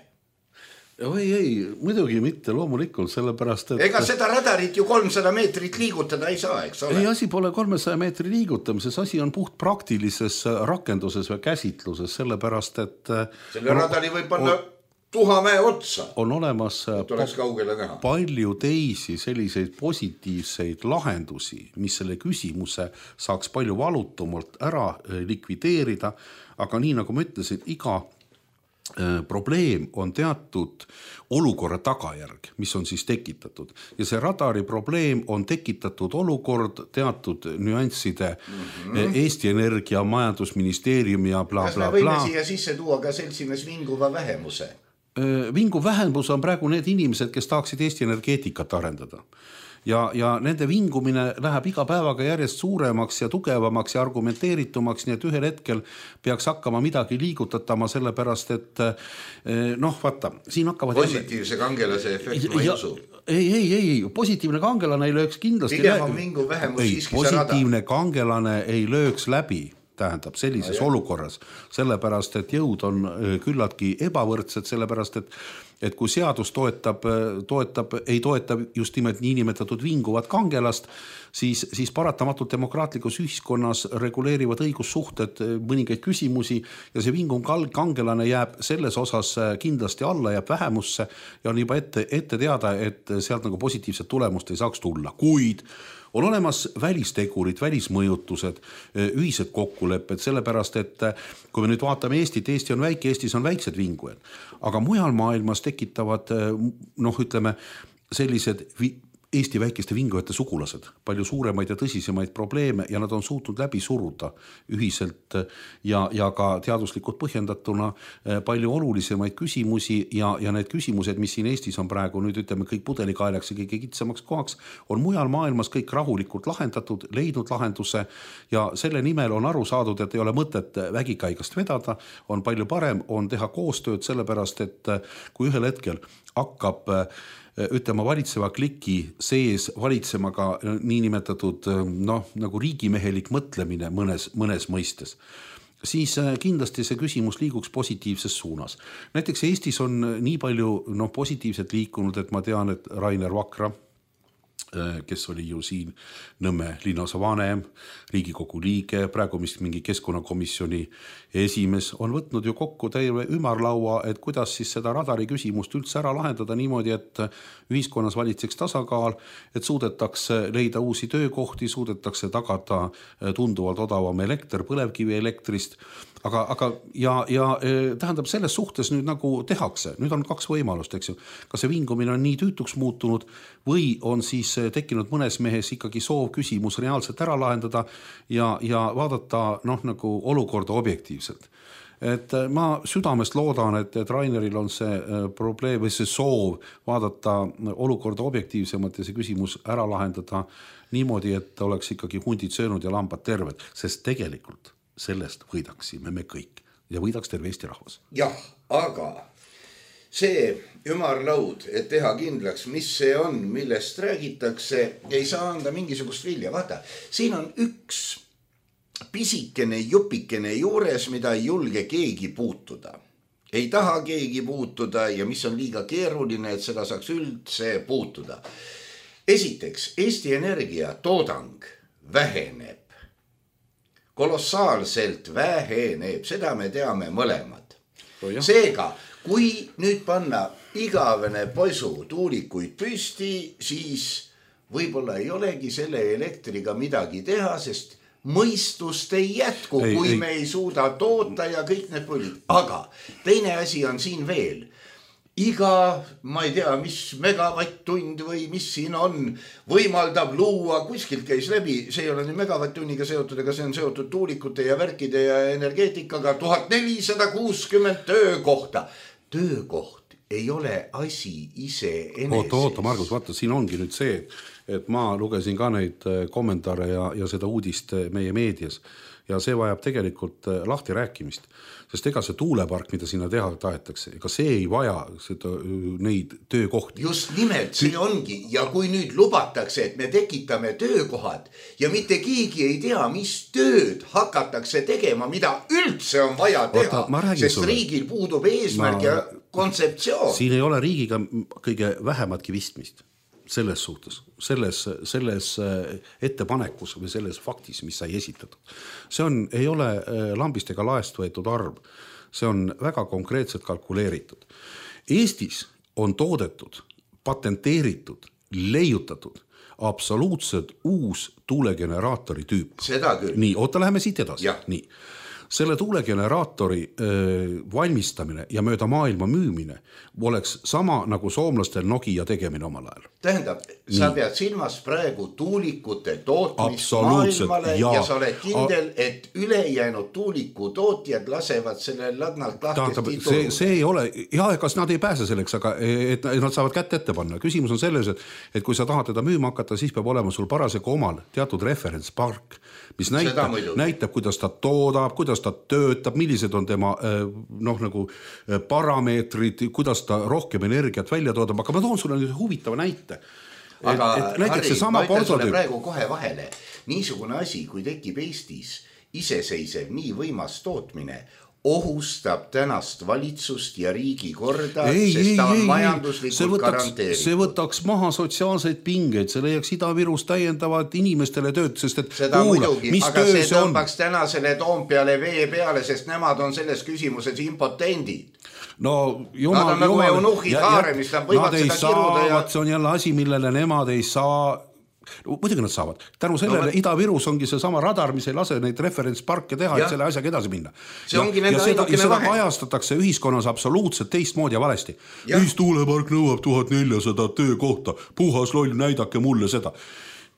Speaker 4: Ei, muidugi mitte, loomulikult, sellepärast, et...
Speaker 3: Ega seda radarit ju 300 meetrit liigutada ei saa, eks ole?
Speaker 4: Ei, asi pole 300 meetri liigutamises, asi on puht praktilises rakenduses või käsitluses, sellepärast, et...
Speaker 3: Selle radari võib panna Tuhamäe otsa.
Speaker 4: On olemas palju teisi selliseid positiivseid lahendusi, mis selle küsimuse saaks palju valutumalt ära likvideerida, aga nii nagu ma ütlesin, iga probleem on teatud olukorra tagajärg, mis on siis tekitatud. Ja see radari probleem on tekitatud olukord teatud nüansside Eesti Energia, Majandusministeeriumi ja bla, bla, bla.
Speaker 3: Kas me võime siia sisse tuua ka seltsimees vinguva vähemuse?
Speaker 4: Vingu vähemus on praegu need inimesed, kes tahaksid Eesti energeetikat arendada. Ja nende vingumine läheb iga päevaga järjest suuremaks ja tugevamaks ja argumenteeritumaks, nii et ühel hetkel peaks hakkama midagi liigutatama, sellepärast, et vaata, siin hakkavad...
Speaker 3: Positiivse kangelase efekt, ma ei usu.
Speaker 4: Ei, positiivne kangelane ei lööks kindlasti...
Speaker 3: Pigem on vingu vähemus siiski see rada.
Speaker 4: Positiivne kangelane ei lööks läbi, tähendab sellises olukorras, sellepärast, et jõud on küllaltki ebavõrdsed, sellepärast, et kui seadus ei toeta just nimelt niinimetatud vinguvat kangelast, siis paratamatult demokraatlikus ühiskonnas reguleerivad õigussuhted mõningaid küsimusi ja see vingum kangelane jääb selles osas kindlasti alla, jääb vähemusse ja on juba ette teada, et sealt nagu positiivset tulemust ei saaks tulla. Kuid on olemas välistegurid, välismõjutused, ühised kokkulepped, sellepärast, et kui me nüüd vaatame Eestit, Eesti on väike, Eestis on väiksed vingujad, aga mujal maailmas tekitavad, ütleme, sellised Eesti väikeste vingujate sugulased, palju suuremaid ja tõsisemaid probleeme ja nad on suutnud läbi suruda ühiselt ja ka teaduslikult põhjendatuna palju olulisemaid küsimusi ja need küsimused, mis siin Eestis on praegu nüüd ütleme kõik pudelikaelaks ja kõige kitsamaks kohaks, on mujal maailmas kõik rahulikult lahendatud, leidnud lahenduse ja selle nimel on aru saadud, et ei ole mõtet vägikaigast vedada, on palju parem, on teha koostööd sellepärast, et kui ühel hetkel hakkab ütlema valitseva kliki sees valitsema ka niinimetatud nagu riigimehelik mõtlemine mõnes mõistes, siis kindlasti see küsimus liiguks positiivses suunas. Näiteks Eestis on nii palju positiivselt liikunud, et ma tean, et Rainer Vakra, kes oli ju siin Nõmme linnaosa vanem, Riigikogu liige, praegu mis mingi keskkonnakomisjoni esimees, on võtnud ju kokku terve ümarlaua, et kuidas siis seda radari küsimust üldse ära lahendada niimoodi, et ühiskonnas valitseks tasakaal, et suudetakse leida uusi töökohti, suudetakse tagada tunduvalt odavam elekter põlevkivi elektrist, aga tähendab selles suhtes nüüd nagu tehakse, nüüd on kaks võimalust, eks ju. Kas see vingumine on nii tüütuks muutunud või on siis tekkinud mõnes mehes ikkagi soov küsimus reaalselt ära lahendada ja vaadata nagu olukorda objektiivselt. Et ma südamest loodan, et Raineril on see probleem või see soov vaadata olukorda objektiivsemalt ja see küsimus ära lahendada niimoodi, et oleks ikkagi hundid söönud ja lambad terved, sest tegelikult sellest võidaksime me kõik ja võidaks terve Eesti rahvas.
Speaker 3: Jah, aga see ümarlaud, et teha kindlaks, mis see on, millest räägitakse, ei saa anda mingisugust vilja. Vaata, siin on üks pisikene jupikene juures, mida ei julge keegi puutuda. Ei taha keegi puutuda ja mis on liiga keeruline, et seda saaks üldse puutuda. Esiteks, Eesti Energia toodang väheneb. Kolossaalselt väheneb, seda me teame mõlemad. Seega, kui nüüd panna igavene poisu tuulikuid püsti, siis võib-olla ei olegi selle elektriga midagi teha, sest mõistust ei jätku, kui me ei suuda toota ja kõik need pullid. Aga teine asi on siin veel. Iga, ma ei tea, mis megavatt-tund või mis siin on, võimaldab luua, kuskilt käis läbi, see ei ole nüüd megavatt-tunniga seotud, aga see on seotud tuulikute ja värkide ja energeetikaga, 1460 töökohta. Töökoht ei ole asi ise eneses.
Speaker 4: Oota, Margus, vaata, siin ongi nüüd see, et ma lugesin ka neid kommentaare ja seda uudist meie meedias ja see vajab tegelikult lahti rääkimist. Sest ega see tuulepark, mida sinna teha tahetakse, ega see ei vaja neid töökohti.
Speaker 3: Just nimelt, see ongi. Ja kui nüüd lubatakse, et me tekitame töökohad ja mitte keegi ei tea, mis tööd hakatakse tegema, mida üldse on vaja teha, sest riigil puudub eesmärk ja kontseptsioon.
Speaker 4: Siin ei ole riigiga kõige vähematki vistmist. Selles suhtes, selles ettepanekus või selles faktis, mis sai esitatud. See ei ole lambist ega laest võetud arv. See on väga konkreetselt kalkuleeritud. Eestis on toodetud, patenteeritud, leiutatud absoluutselt uus tuulegeneraatori tüüp.
Speaker 3: Seda küll.
Speaker 4: Nii, oota, läheme siit edasi. Nii. Selle tuulegeneraatori valmistamine ja mööda maailma müümine oleks sama nagu soomlastel Nokia tegemine omal ajal.
Speaker 3: Tähendab, sa pead silmas praegu tuulikute tootmist maailmale ja sa oled kindel, et ülejäänud tuuliku tootjad lasevad selle lagnalt lahkesti turu.
Speaker 4: See ei ole, kas nad ei pääse selleks, aga et nad saavad kätt ette panna. Küsimus on selles, et kui sa tahad teda müüma hakata, siis peab olema sul parasjagu omal teatud referentspark, mis näitab, kuidas ta toodab, kuidas ta töötab, millised on tema nagu parameetrid, kuidas ta rohkem energiat välja toodab, aga ma toon sulle nüüd huvitava näite.
Speaker 3: Aga Harri, ma ütlen sulle praegu kohe vahele. Niisugune asi, kui tekib Eestis iseseisev nii võimas tootmine, ohustab tänast valitsust ja riigi korda, sest ta on majanduslikult garanteeritud.
Speaker 4: See võtaks maha sotsiaalseid pingeid, see leiaks Ida-Virus täiendavad inimestele tööd, sest et
Speaker 3: seda muidugi, aga see tõmbaks tänasele Toompeale vee peale, sest nemad on selles küsimuses impotendid.
Speaker 4: No,
Speaker 3: nad on nagu eunuhid haaremist, nad võivad seda kiruda ja...
Speaker 4: See on jälle asi, millele nemad ei saa muidugi nad saavad. Tänu sellele Ida-Virus ongi see sama radar, mis ei lase neid referentsparke teha, et selle asjaga edasi minna.
Speaker 3: See ongi nende
Speaker 4: ja seda kajastatakse ühiskonnas absoluutselt teistmoodi ja valesti. Ühistuulepark nõuab 1400 töökohta, puhas loll, näidake mulle seda.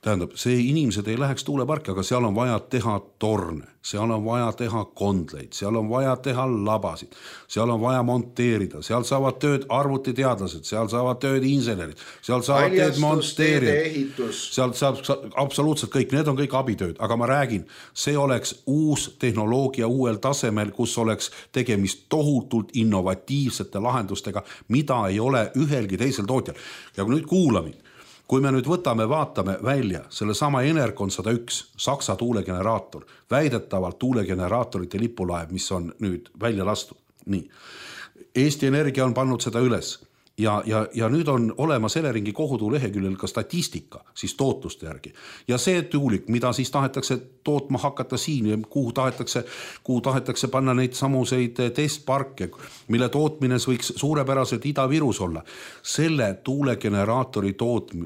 Speaker 4: Tähendab, see inimesed ei läheks tuuleparki, aga seal on vaja teha torne, seal on vaja teha kondleid, seal on vaja teha labasid, seal on vaja monteerida, seal saavad tööd arvutiteadlased, seal saavad tööd insenerid, seal saavad tööd monteerijad, seal saab absoluutselt kõik, need on kõik abitööd, aga ma räägin, see oleks uus tehnoloogia uuel tasemel, kus oleks tegemist tohutult innovatiivsete lahendustega, mida ei ole ühelgi teisel tootjal. Ja nüüd kuulamid. Kui me nüüd võtame, vaatame välja selle sama Enercon 101, Saksa tuulegeneraator, väidetavalt tuulegeneraatorite lipulaev, mis on nüüd välja lastud. Nii. Eesti Energia on pannud seda üles ja nüüd on olemas Eleringi kohutu leheküljel ka statistika siis tootluste järgi. Ja see tuulik, mida siis tahetakse tootma hakata siin, kuhu tahetakse panna neid samuseid testparke, mille tootmine võiks suurepäraselt Ida-Virus olla. Selle tuulegeneraatori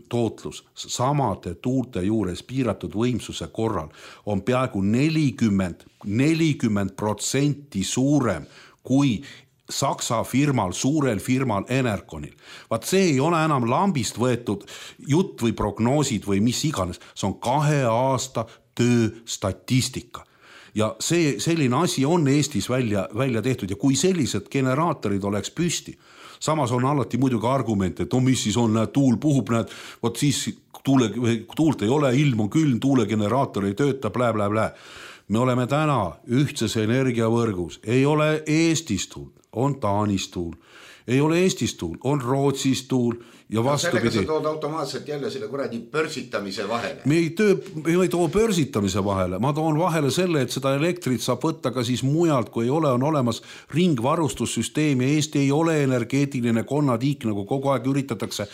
Speaker 4: tootlus samade tuulte juures piiratud võimsuse korral on peaaegu 40% suurem kui Saksa firmal, suurel firmal Enerconil. Vaat see ei ole enam lambist võetud jutt või prognoosid või mis iganes. See on 2 aasta töö statistika. Ja see selline asi on Eestis välja tehtud ja kui sellised generaatorid oleks püsti, samas on alati muidugi argument, et mis siis on, näed, tuul puhub, näed, võt siis tuult ei ole, ilm on külm, tuulegeneraator ei tööta, blä. Me oleme täna ühtses energiavõrgus, ei ole Eestis tuul, on Taanis tuul, ei ole Eestis tuul, on Rootsis tuul ja vastupidi.
Speaker 3: Sellega sa tood automaatselt jälle selle kuradi börsitamise vahele.
Speaker 4: Me ei too börsitamise vahele, ma toon vahele selle, et seda elektrit saab võtta ka siis mujalt, kui ei ole, on olemas ringvarustussüsteem ja Eesti ei ole energeetiline konnatiik, nagu kogu aeg üritatakse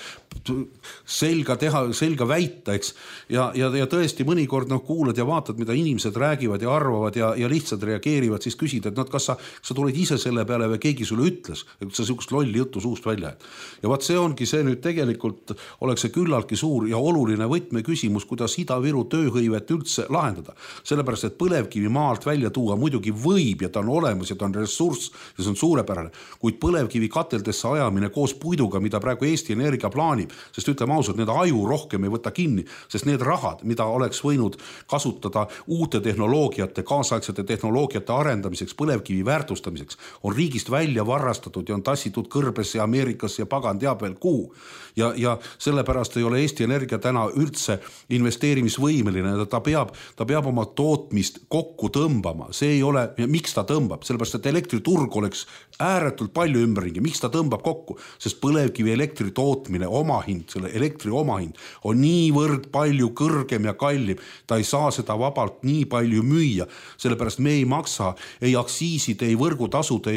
Speaker 4: selga väita, eks. Ja tõesti mõnikord kuulad ja vaatad, mida inimesed räägivad ja arvavad ja lihtsalt reageerivad, siis küsid, et kas sa tulid ise selle peale või keegi sulle ütles, et sa sihukest lolli juttu suust välja. Ja vaat see ongi see nüüd tegelikult oleks see küllaltki suur ja oluline võtmeküsimus, kuidas Ida-Viru tööhõivet üldse lahendada. Sellepärast, et põlevkivi maalt välja tuua muidugi võib ja ta on olemas ja ta on ressurss ja see on suurepärane, kuid põlevkivi kateldesse ajamine koos puiduga, mida praegu Eesti Energia plaanib, sest ütleme ausalt, need aju rohkem ei võta kinni, sest need rahad, mida oleks võinud kasutada uute tehnoloogiate, kaasaegsete tehnoloogiate arendamiseks, põlevkivi väärtustamiseks, on riigist välja varrastatud ja on tassitud Kõrbesse ja Ameerikasse ja pagan teab veel kuhu. Ja sellepärast ei ole Eesti Energia täna üldse investeerimisvõimeline, ta peab oma tootmist kokku tõmbama, see ei ole, miks ta tõmbab, sellepärast et elektriturg oleks ääretult palju ümberringi, miks ta tõmbab kokku, sest põlevkivi elektri tootmine, omahind, selle elektri omahind on niivõrd palju kõrgem ja kallim, ta ei saa seda vabalt nii palju müüa, sellepärast me ei maksa ei aktsiisid, ei võrgutasud,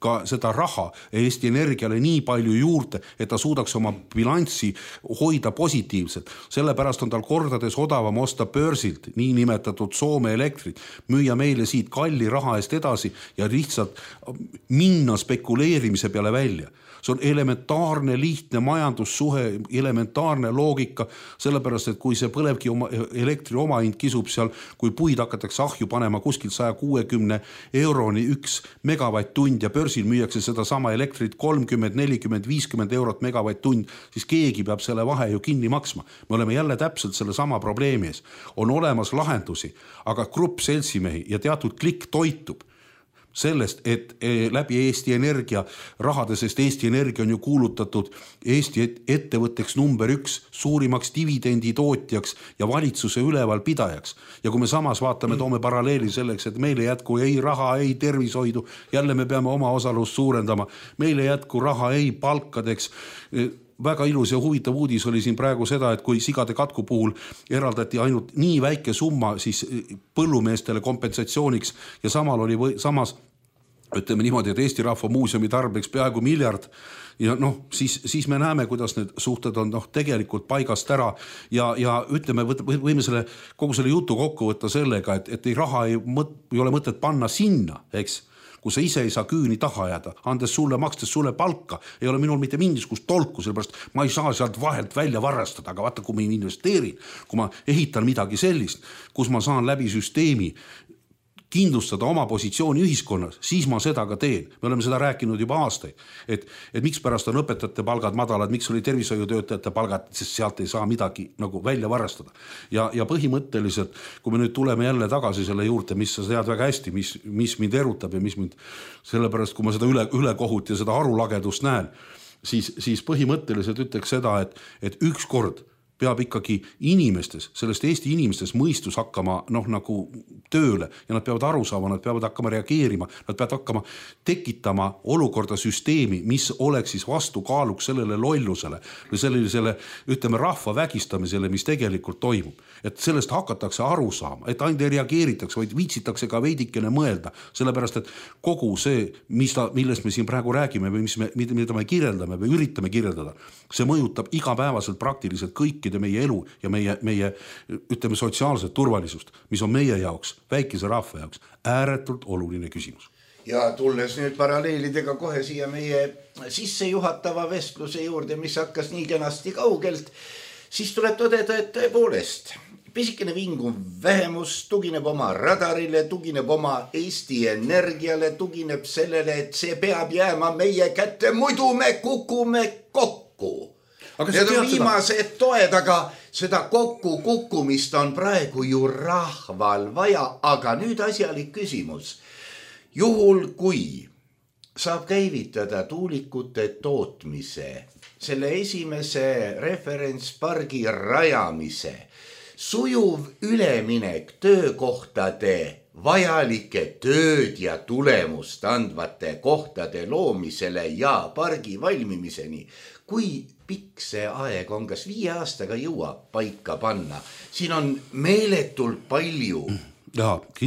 Speaker 4: ka seda raha Eesti Energiale nii palju juurde, et ta suudaks oma bilanssi hoida positiivselt. Sellepärast on tal kordades odavam osta börsilt nii nimetatud Soome elektrit, müüa meile siit kalli raha eest edasi ja lihtsalt minna spekuleerimise peale välja. See on elementaarne, lihtne majandussuhe, elementaarne loogika, sellepärast, et kui see põlevki elektri omahind kisub seal, kui puid hakatakse ahju panema kuskilt 160 euroni 1 megavatt-tund ja börsil müüakse seda sama elektrit 30, 40, 50 eurot megavatt-tund, siis keegi peab selle vahe ju kinni maksma. Me oleme jälle täpselt selle sama probleemi ees. On olemas lahendusi, aga grupp seltsimehi ja teatud klikk toitub sellest, et läbi Eesti Energia rahade, sest Eesti Energia on ju kuulutatud Eesti ettevõtteks number 1, suurimaks dividendi tootjaks ja valitsuse ülevalpidajaks. Ja kui me samas vaatame, toome paralleeli selleks, et meile jätku ei raha, ei tervishoidu, jälle me peame oma osalust suurendama, meile jätku raha, ei palkadeks, väga ilus ja huvitav uudis oli siin praegu seda, et kui sigade katku puhul eraldati ainult nii väike summa siis põllumeestele kompensatsiooniks ja samas ütleme niimoodi, et Eesti Rahva Muuseumi tarbeks peaaegu 1 miljard ja siis me näeme, kuidas need suhted on tegelikult paigast ära ja ütleme, võime kogu selle jutu kokku võtta sellega, et raha ei ole mõtet panna sinna, eks, kui sa ise ei saa küüni taha jääda, andes sulle, makstes sulle palka, ei ole minul mitte mingisugust tolku, sellepärast ma ei saa sealt vahelt välja varastada, aga vaata, kui ma investeerin, kui ma ehitan midagi sellist, kus ma saan läbi süsteemi kindlustada oma positsiooni ühiskonnas, siis ma seda ka teen. Me oleme seda rääkinud juba aastaid, et miks pärast on õpetajate palgad madalad, miks oli tervishoiutöötajate palgad, sest sealt ei saa midagi nagu välja varastada. Ja põhimõtteliselt, kui me nüüd tuleme jälle tagasi selle juurde, mis sa tead väga hästi, mis mind erutab ja mis mind, sellepärast kui ma seda ülekohut ja seda arulagedust näen, siis põhimõtteliselt ütleks seda, et ükskord peab ikkagi inimestes, sellest Eesti inimestes mõistus hakkama nagu tööle ja nad peavad aru saama, nad peavad hakkama reageerima, nad peavad hakkama tekitama olukorda süsteemi, mis oleks siis vastukaaluks sellele lollusele või sellisele, ütleme, rahva vägistamisele, mis tegelikult toimub. Et sellest hakatakse aru saama, et ainult ei reageeritakse, vaid viitsitakse ka veidikene mõelda, sellepärast, et kogu see, millest me siin praegu räägime või mida me kirjeldame või üritame kirjeldada, see mõjutab igapäevaselt praktiliselt kõikide meie elu ja meie ütleme sotsiaalset turvalisust, mis on meie jaoks, väikese rahva jaoks ääretult oluline küsimus.
Speaker 3: Ja tulles nüüd paralleelidega kohe siia meie sissejuhatava vestluse juurde, mis hakkas nii kenasti kaugelt, siis tuleb tõdeda, et tõepoolest pisikene vinguv vähemus tugineb oma radarile, tugineb oma Eesti Energiale, tugineb sellele, et see peab jääma meie kätte, muidu me kukume kokku. Need on viimased toed, aga seda kukkumist on praegu ju rahval vaja, aga nüüd asjalik küsimus. Juhul kui saab käivitada tuulikute tootmise, selle esimese referentspargi rajamise, sujuv üleminek töökohtade, vajalike tööd ja tulemust andvate kohtade loomisele ja pargi valmimiseni, kui pikk see aeg on, kas 5 aastaga jõuab paika panna? Siin on meeletult palju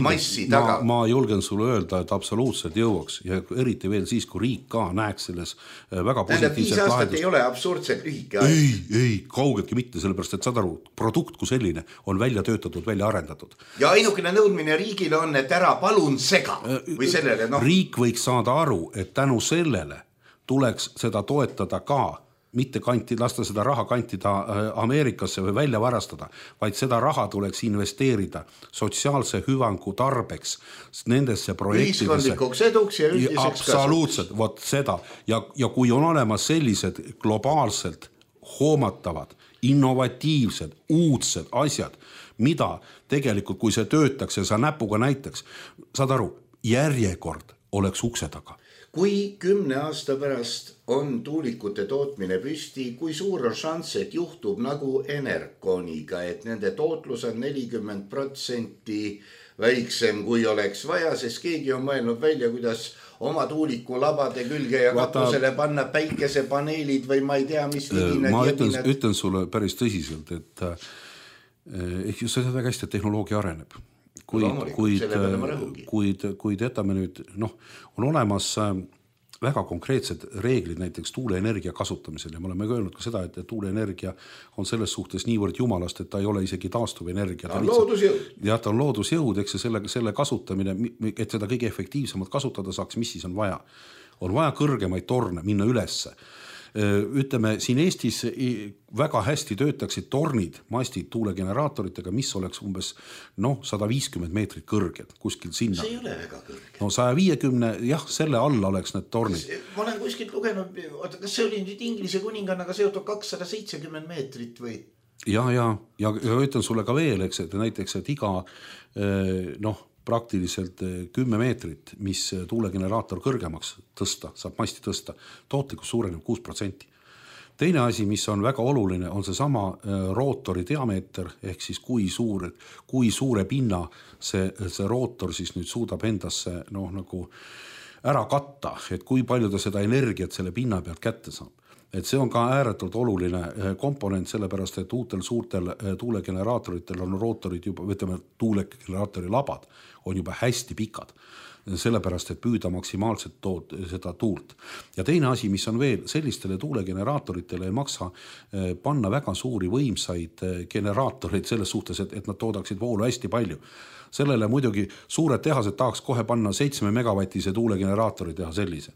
Speaker 3: massi taga.
Speaker 4: Ma julgen sulle öelda, et absoluutselt jõuaks ja eriti veel siis, kui riik ka näeks selles väga positiivset
Speaker 3: 5 aastat ei ole absurdselt lühike aeg.
Speaker 4: Ei, kaugeltki mitte, sellepärast, et saad aru, produkt kui selline on välja töötatud, välja arendatud.
Speaker 3: Ja ainukene nõudmine riigile on, et ära palun sega või sellele.
Speaker 4: Riik võiks saada aru, et tänu sellele tuleks seda toetada ka mitte lasta seda raha kantida Ameerikasse või välja varastada, vaid seda raha tuleks investeerida sotsiaalse hüvangu tarbeks nendesse projektidesse.
Speaker 3: Ühiskondlikuks eduks ja üldiseks kasuks.
Speaker 4: Absoluutselt, vot seda. Ja kui on olemas sellised globaalselt hoomatavad, innovatiivsed, uudsed asjad, mida tegelikult, kui see töötaks ja sa näpuga näitaks, saad aru, järjekord oleks ukse taga.
Speaker 3: Kui 10 aasta pärast on tuulikute tootmine püsti, kui suur on šanss, et juhtub nagu Enerconiga, et nende tootlus on 40% väiksem, kui oleks vaja, sest keegi on mõelnud välja, kuidas oma tuuliku labade külge ja katusele panna päikesepaneelid või ma ei tea, mis ligine.
Speaker 4: Ma ütlen sulle päris tõsiselt, et just seda väga hästi, et tehnoloogia areneb. Kuid jätame nüüd, on olemas väga konkreetsed reeglid näiteks tuuleenergia kasutamisel ja me oleme öelnud ka seda, et tuuleenergia on selles suhtes niivõrd jumalast, et ta ei ole isegi taastuvenergia.
Speaker 3: Ta on loodusjõud.
Speaker 4: Ja ta on loodusjõud, eks selle kasutamine, et seda kõige efektiivsemalt kasutada saaks, mis siis on vaja. On vaja kõrgemaid torne minna ülesse. Ütleme, siin Eestis väga hästi töötaksid tornid, mastid tuulegeneraatoritega, mis oleks umbes 150 meetrit kõrged kuskil sinna.
Speaker 3: See ei ole väga kõrge.
Speaker 4: 150, jah, selle alla oleks need tornid.
Speaker 3: Ma olen kuskilt lugenud, kas see oli nüüd Inglise kuningannaga seotud 270 meetrit või?
Speaker 4: Ja ütlen sulle ka veel, eks, et näiteks, et iga praktiliselt 10 meetrit, mis tuulegeneraator kõrgemaks tõsta, saab masti tõsta, tootlikkus suureneb 6%. Teine asi, mis on väga oluline, on see sama rootori diameeter, ehk siis kui suure pinna see rootor siis nüüd suudab endasse nagu ära katta, et kui palju ta seda energiat selle pinna pealt kätte saab. et see on ka ääretult oluline komponent, sellepärast et uutel suurtel tuulegeneraatoritel on rootorid juba, ütleme, tuulegeneraatori labad on juba hästi pikad, sellepärast et püüda maksimaalselt seda tuult. Ja teine asi, mis on veel, sellistele tuulegeneraatoritele ei maksa panna väga suuri võimsaid generaatoreid selles suhtes, et nad toodaksid voolu hästi palju. Sellele muidugi suured tehased tahaks kohe panna 7 megavatise tuulegeneraatori teha sellise.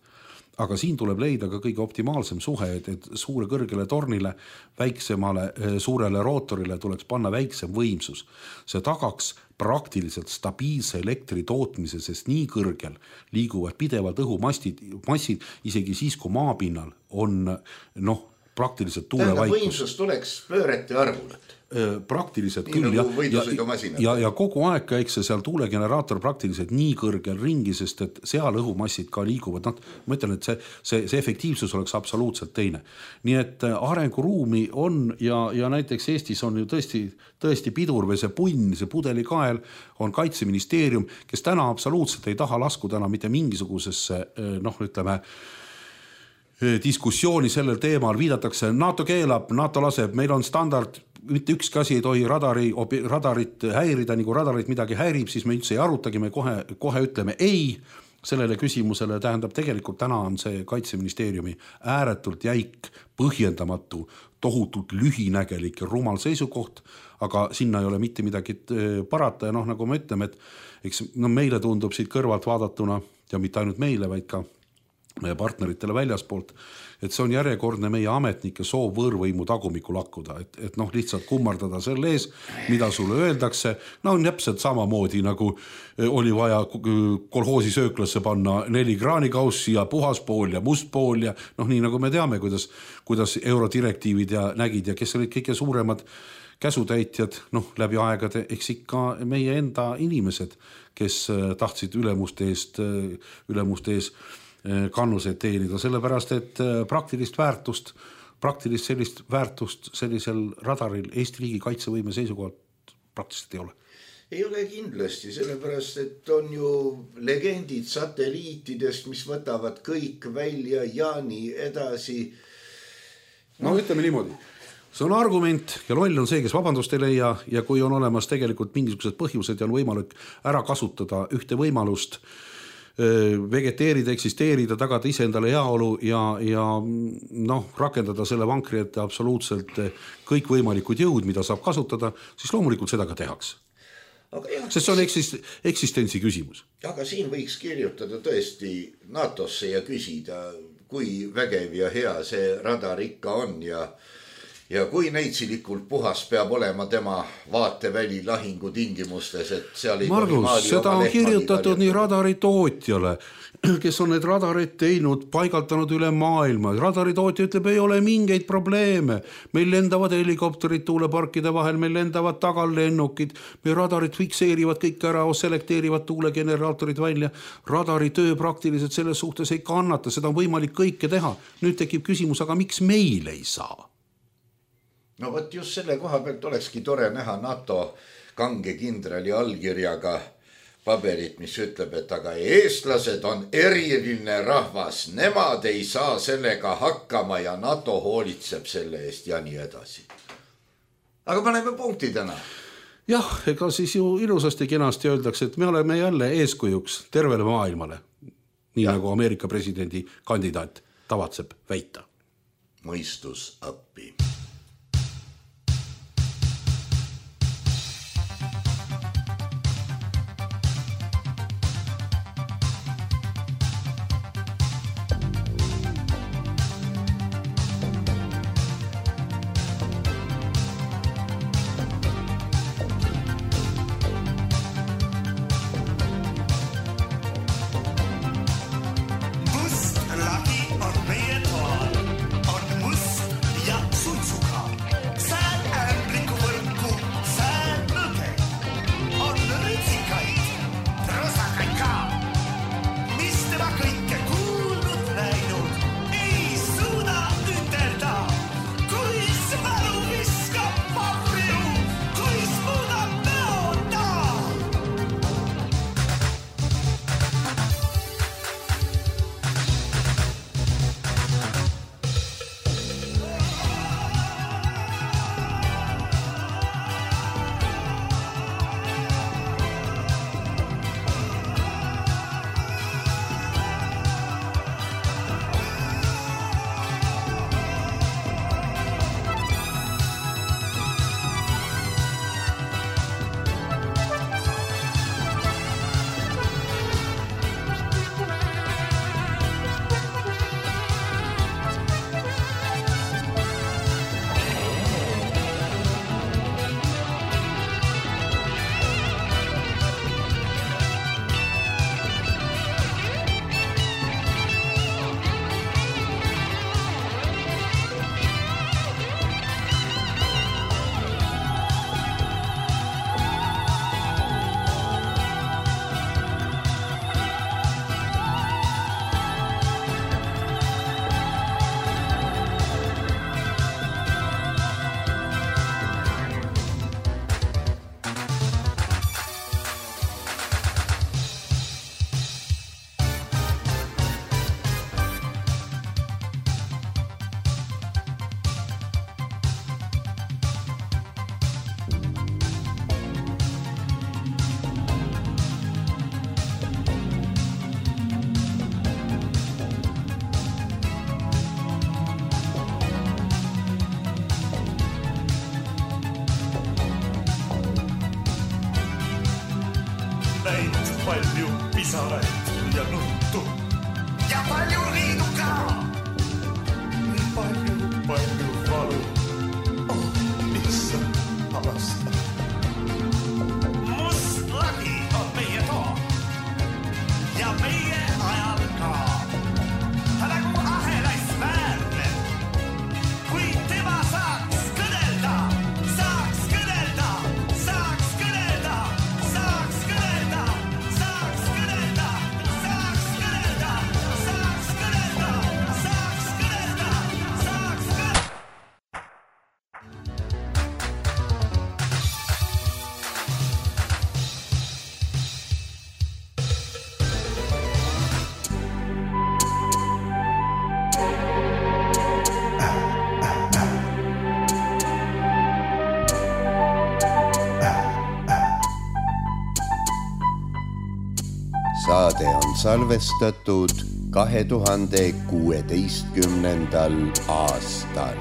Speaker 4: Aga siin tuleb leida ka kõige optimaalsem suhe, et suure kõrgele tornile, väiksemale suurele rootorile tuleks panna väiksem võimsus. See tagaks praktiliselt stabiilse elektri tootmise, sest nii kõrgel liiguvad pidevalt õhumassid, isegi siis, kui maapinnal on praktiliselt tuulevaikus.
Speaker 3: Võimsus tuleks pöörete arvul.
Speaker 4: Praktiliselt
Speaker 3: nii
Speaker 4: küll
Speaker 3: ja
Speaker 4: kogu aeg käiks see seal tuulegeneraator praktiliselt nii kõrgel ringi, sest et seal õhumassid ka liiguvad. Ma ütlen, et see efektiivsus oleks absoluutselt teine. Nii et arenguruumi on ja näiteks Eestis on ju tõesti pidur või see punn, see pudelikael on Kaitseministeerium, kes täna absoluutselt ei taha laskuda enam mitte mingisugusesse, ütleme, diskussiooni sellel teemal, viidatakse, NATO keelab, NATO laseb, meil on standard, mitte ükski asi ei tohi radarit häirida, nagu radarit midagi häirib, siis me üldse ei arutagi, me kohe ütleme ei sellele küsimusele, tähendab tegelikult täna on see Kaitseministeeriumi ääretult jäik, põhjendamatu, tohutult lühinägelik ja rumal seisukoht, aga sinna ei ole mitte midagi parata ja nagu me ütleme, et eks, meile tundub siit kõrvalt vaadatuna ja mitte ainult meile, vaid ka meie partneritele väljaspoolt, et see on järjekordne meie ametnike soov võõrvõimu tagumikku lakkuda, et lihtsalt kummardada selle ees, mida sulle öeldakse, on täpselt samamoodi nagu oli vaja kolhoosi sööklasse panna 4 kraanikaussi ja puhas pool ja must pool ja nii nagu me teame, kuidas eurodirektiivid ja nägid ja kes olid kõige suuremad käsutäitjad läbi aegade, eks ikka meie enda inimesed, kes tahtsid ülemuste ees kannuseid teenida, sellepärast, et praktilist sellist väärtust sellisel radaril Eesti riigi kaitsevõime seisukohalt praktiliselt ei ole.
Speaker 3: Ei ole kindlasti, sellepärast, et on ju legendid satelliitidest, mis võtavad kõik välja ja nii edasi.
Speaker 4: Ütleme niimoodi. See on argument ja loll on see, kes vabandust ei leia ja kui on olemas tegelikult mingisugused põhjused ja on võimalik ära kasutada ühte võimalust vegeteerida, eksisteerida, tagada ise endale heaolu ja rakendada selle vankri ette absoluutselt kõik võimalikud jõud, mida saab kasutada, siis loomulikult seda ka tehaks. Sest see on eksistentsi küsimus.
Speaker 3: Aga siin võiks kirjutada tõesti NATO-sse ja küsida, kui vägev ja hea see radar ikka on ja kui neitsilikult puhas peab olema tema vaateväli lahingu tingimustes, et seal ei
Speaker 4: Margus, seda on kirjutatud nii radaritootjale, kes on need radarid teinud, paigaldanud üle maailma. Radaritootja ütleb, ei ole mingeid probleeme. Meil lendavad helikopterid tuuleparkide vahel, meil lendavad tagallennukid, meil radarid fikseerivad kõik ära, selekteerivad tuulegeneraatorid välja. Radari töö praktiliselt selles suhtes ei kannata, seda on võimalik kõike teha. Nüüd tekib küsimus, aga miks meil ei saa?
Speaker 3: No võt just selle koha pealt olekski tore näha NATO kange kindrali allkirjaga paberit, mis ütleb, et aga eestlased on eriline rahvas, nemad ei saa sellega hakkama ja NATO hoolitseb selle eest ja nii edasi. Aga paneme punkti täna.
Speaker 4: Jah, ega siis ju ilusasti kenasti öeldakse, et me oleme jälle eeskujuks tervele maailmale, nii nagu Ameerika presidendi kandidaat tavatseb väita.
Speaker 3: Mõistus appi.
Speaker 5: Must, laki on meie toal, on must ja suits. näinud palju pisaraid ja nuttu. Ja palju liidu ka. Nii palju valu. Issand, avasta. Must lagi on meie too. Ja meie ajal ka. Ta nagu ahelais väärne. Kui tema saaks kõnelda, saaks kõnelda, saaks kõnelda, saaks kõnelda, saaks kõnelda, saaks kõnelda, saaks kõnelda, saaks kõnelda, saaks kõnelda.
Speaker 2: Saade on salvestatud 2016. aastal.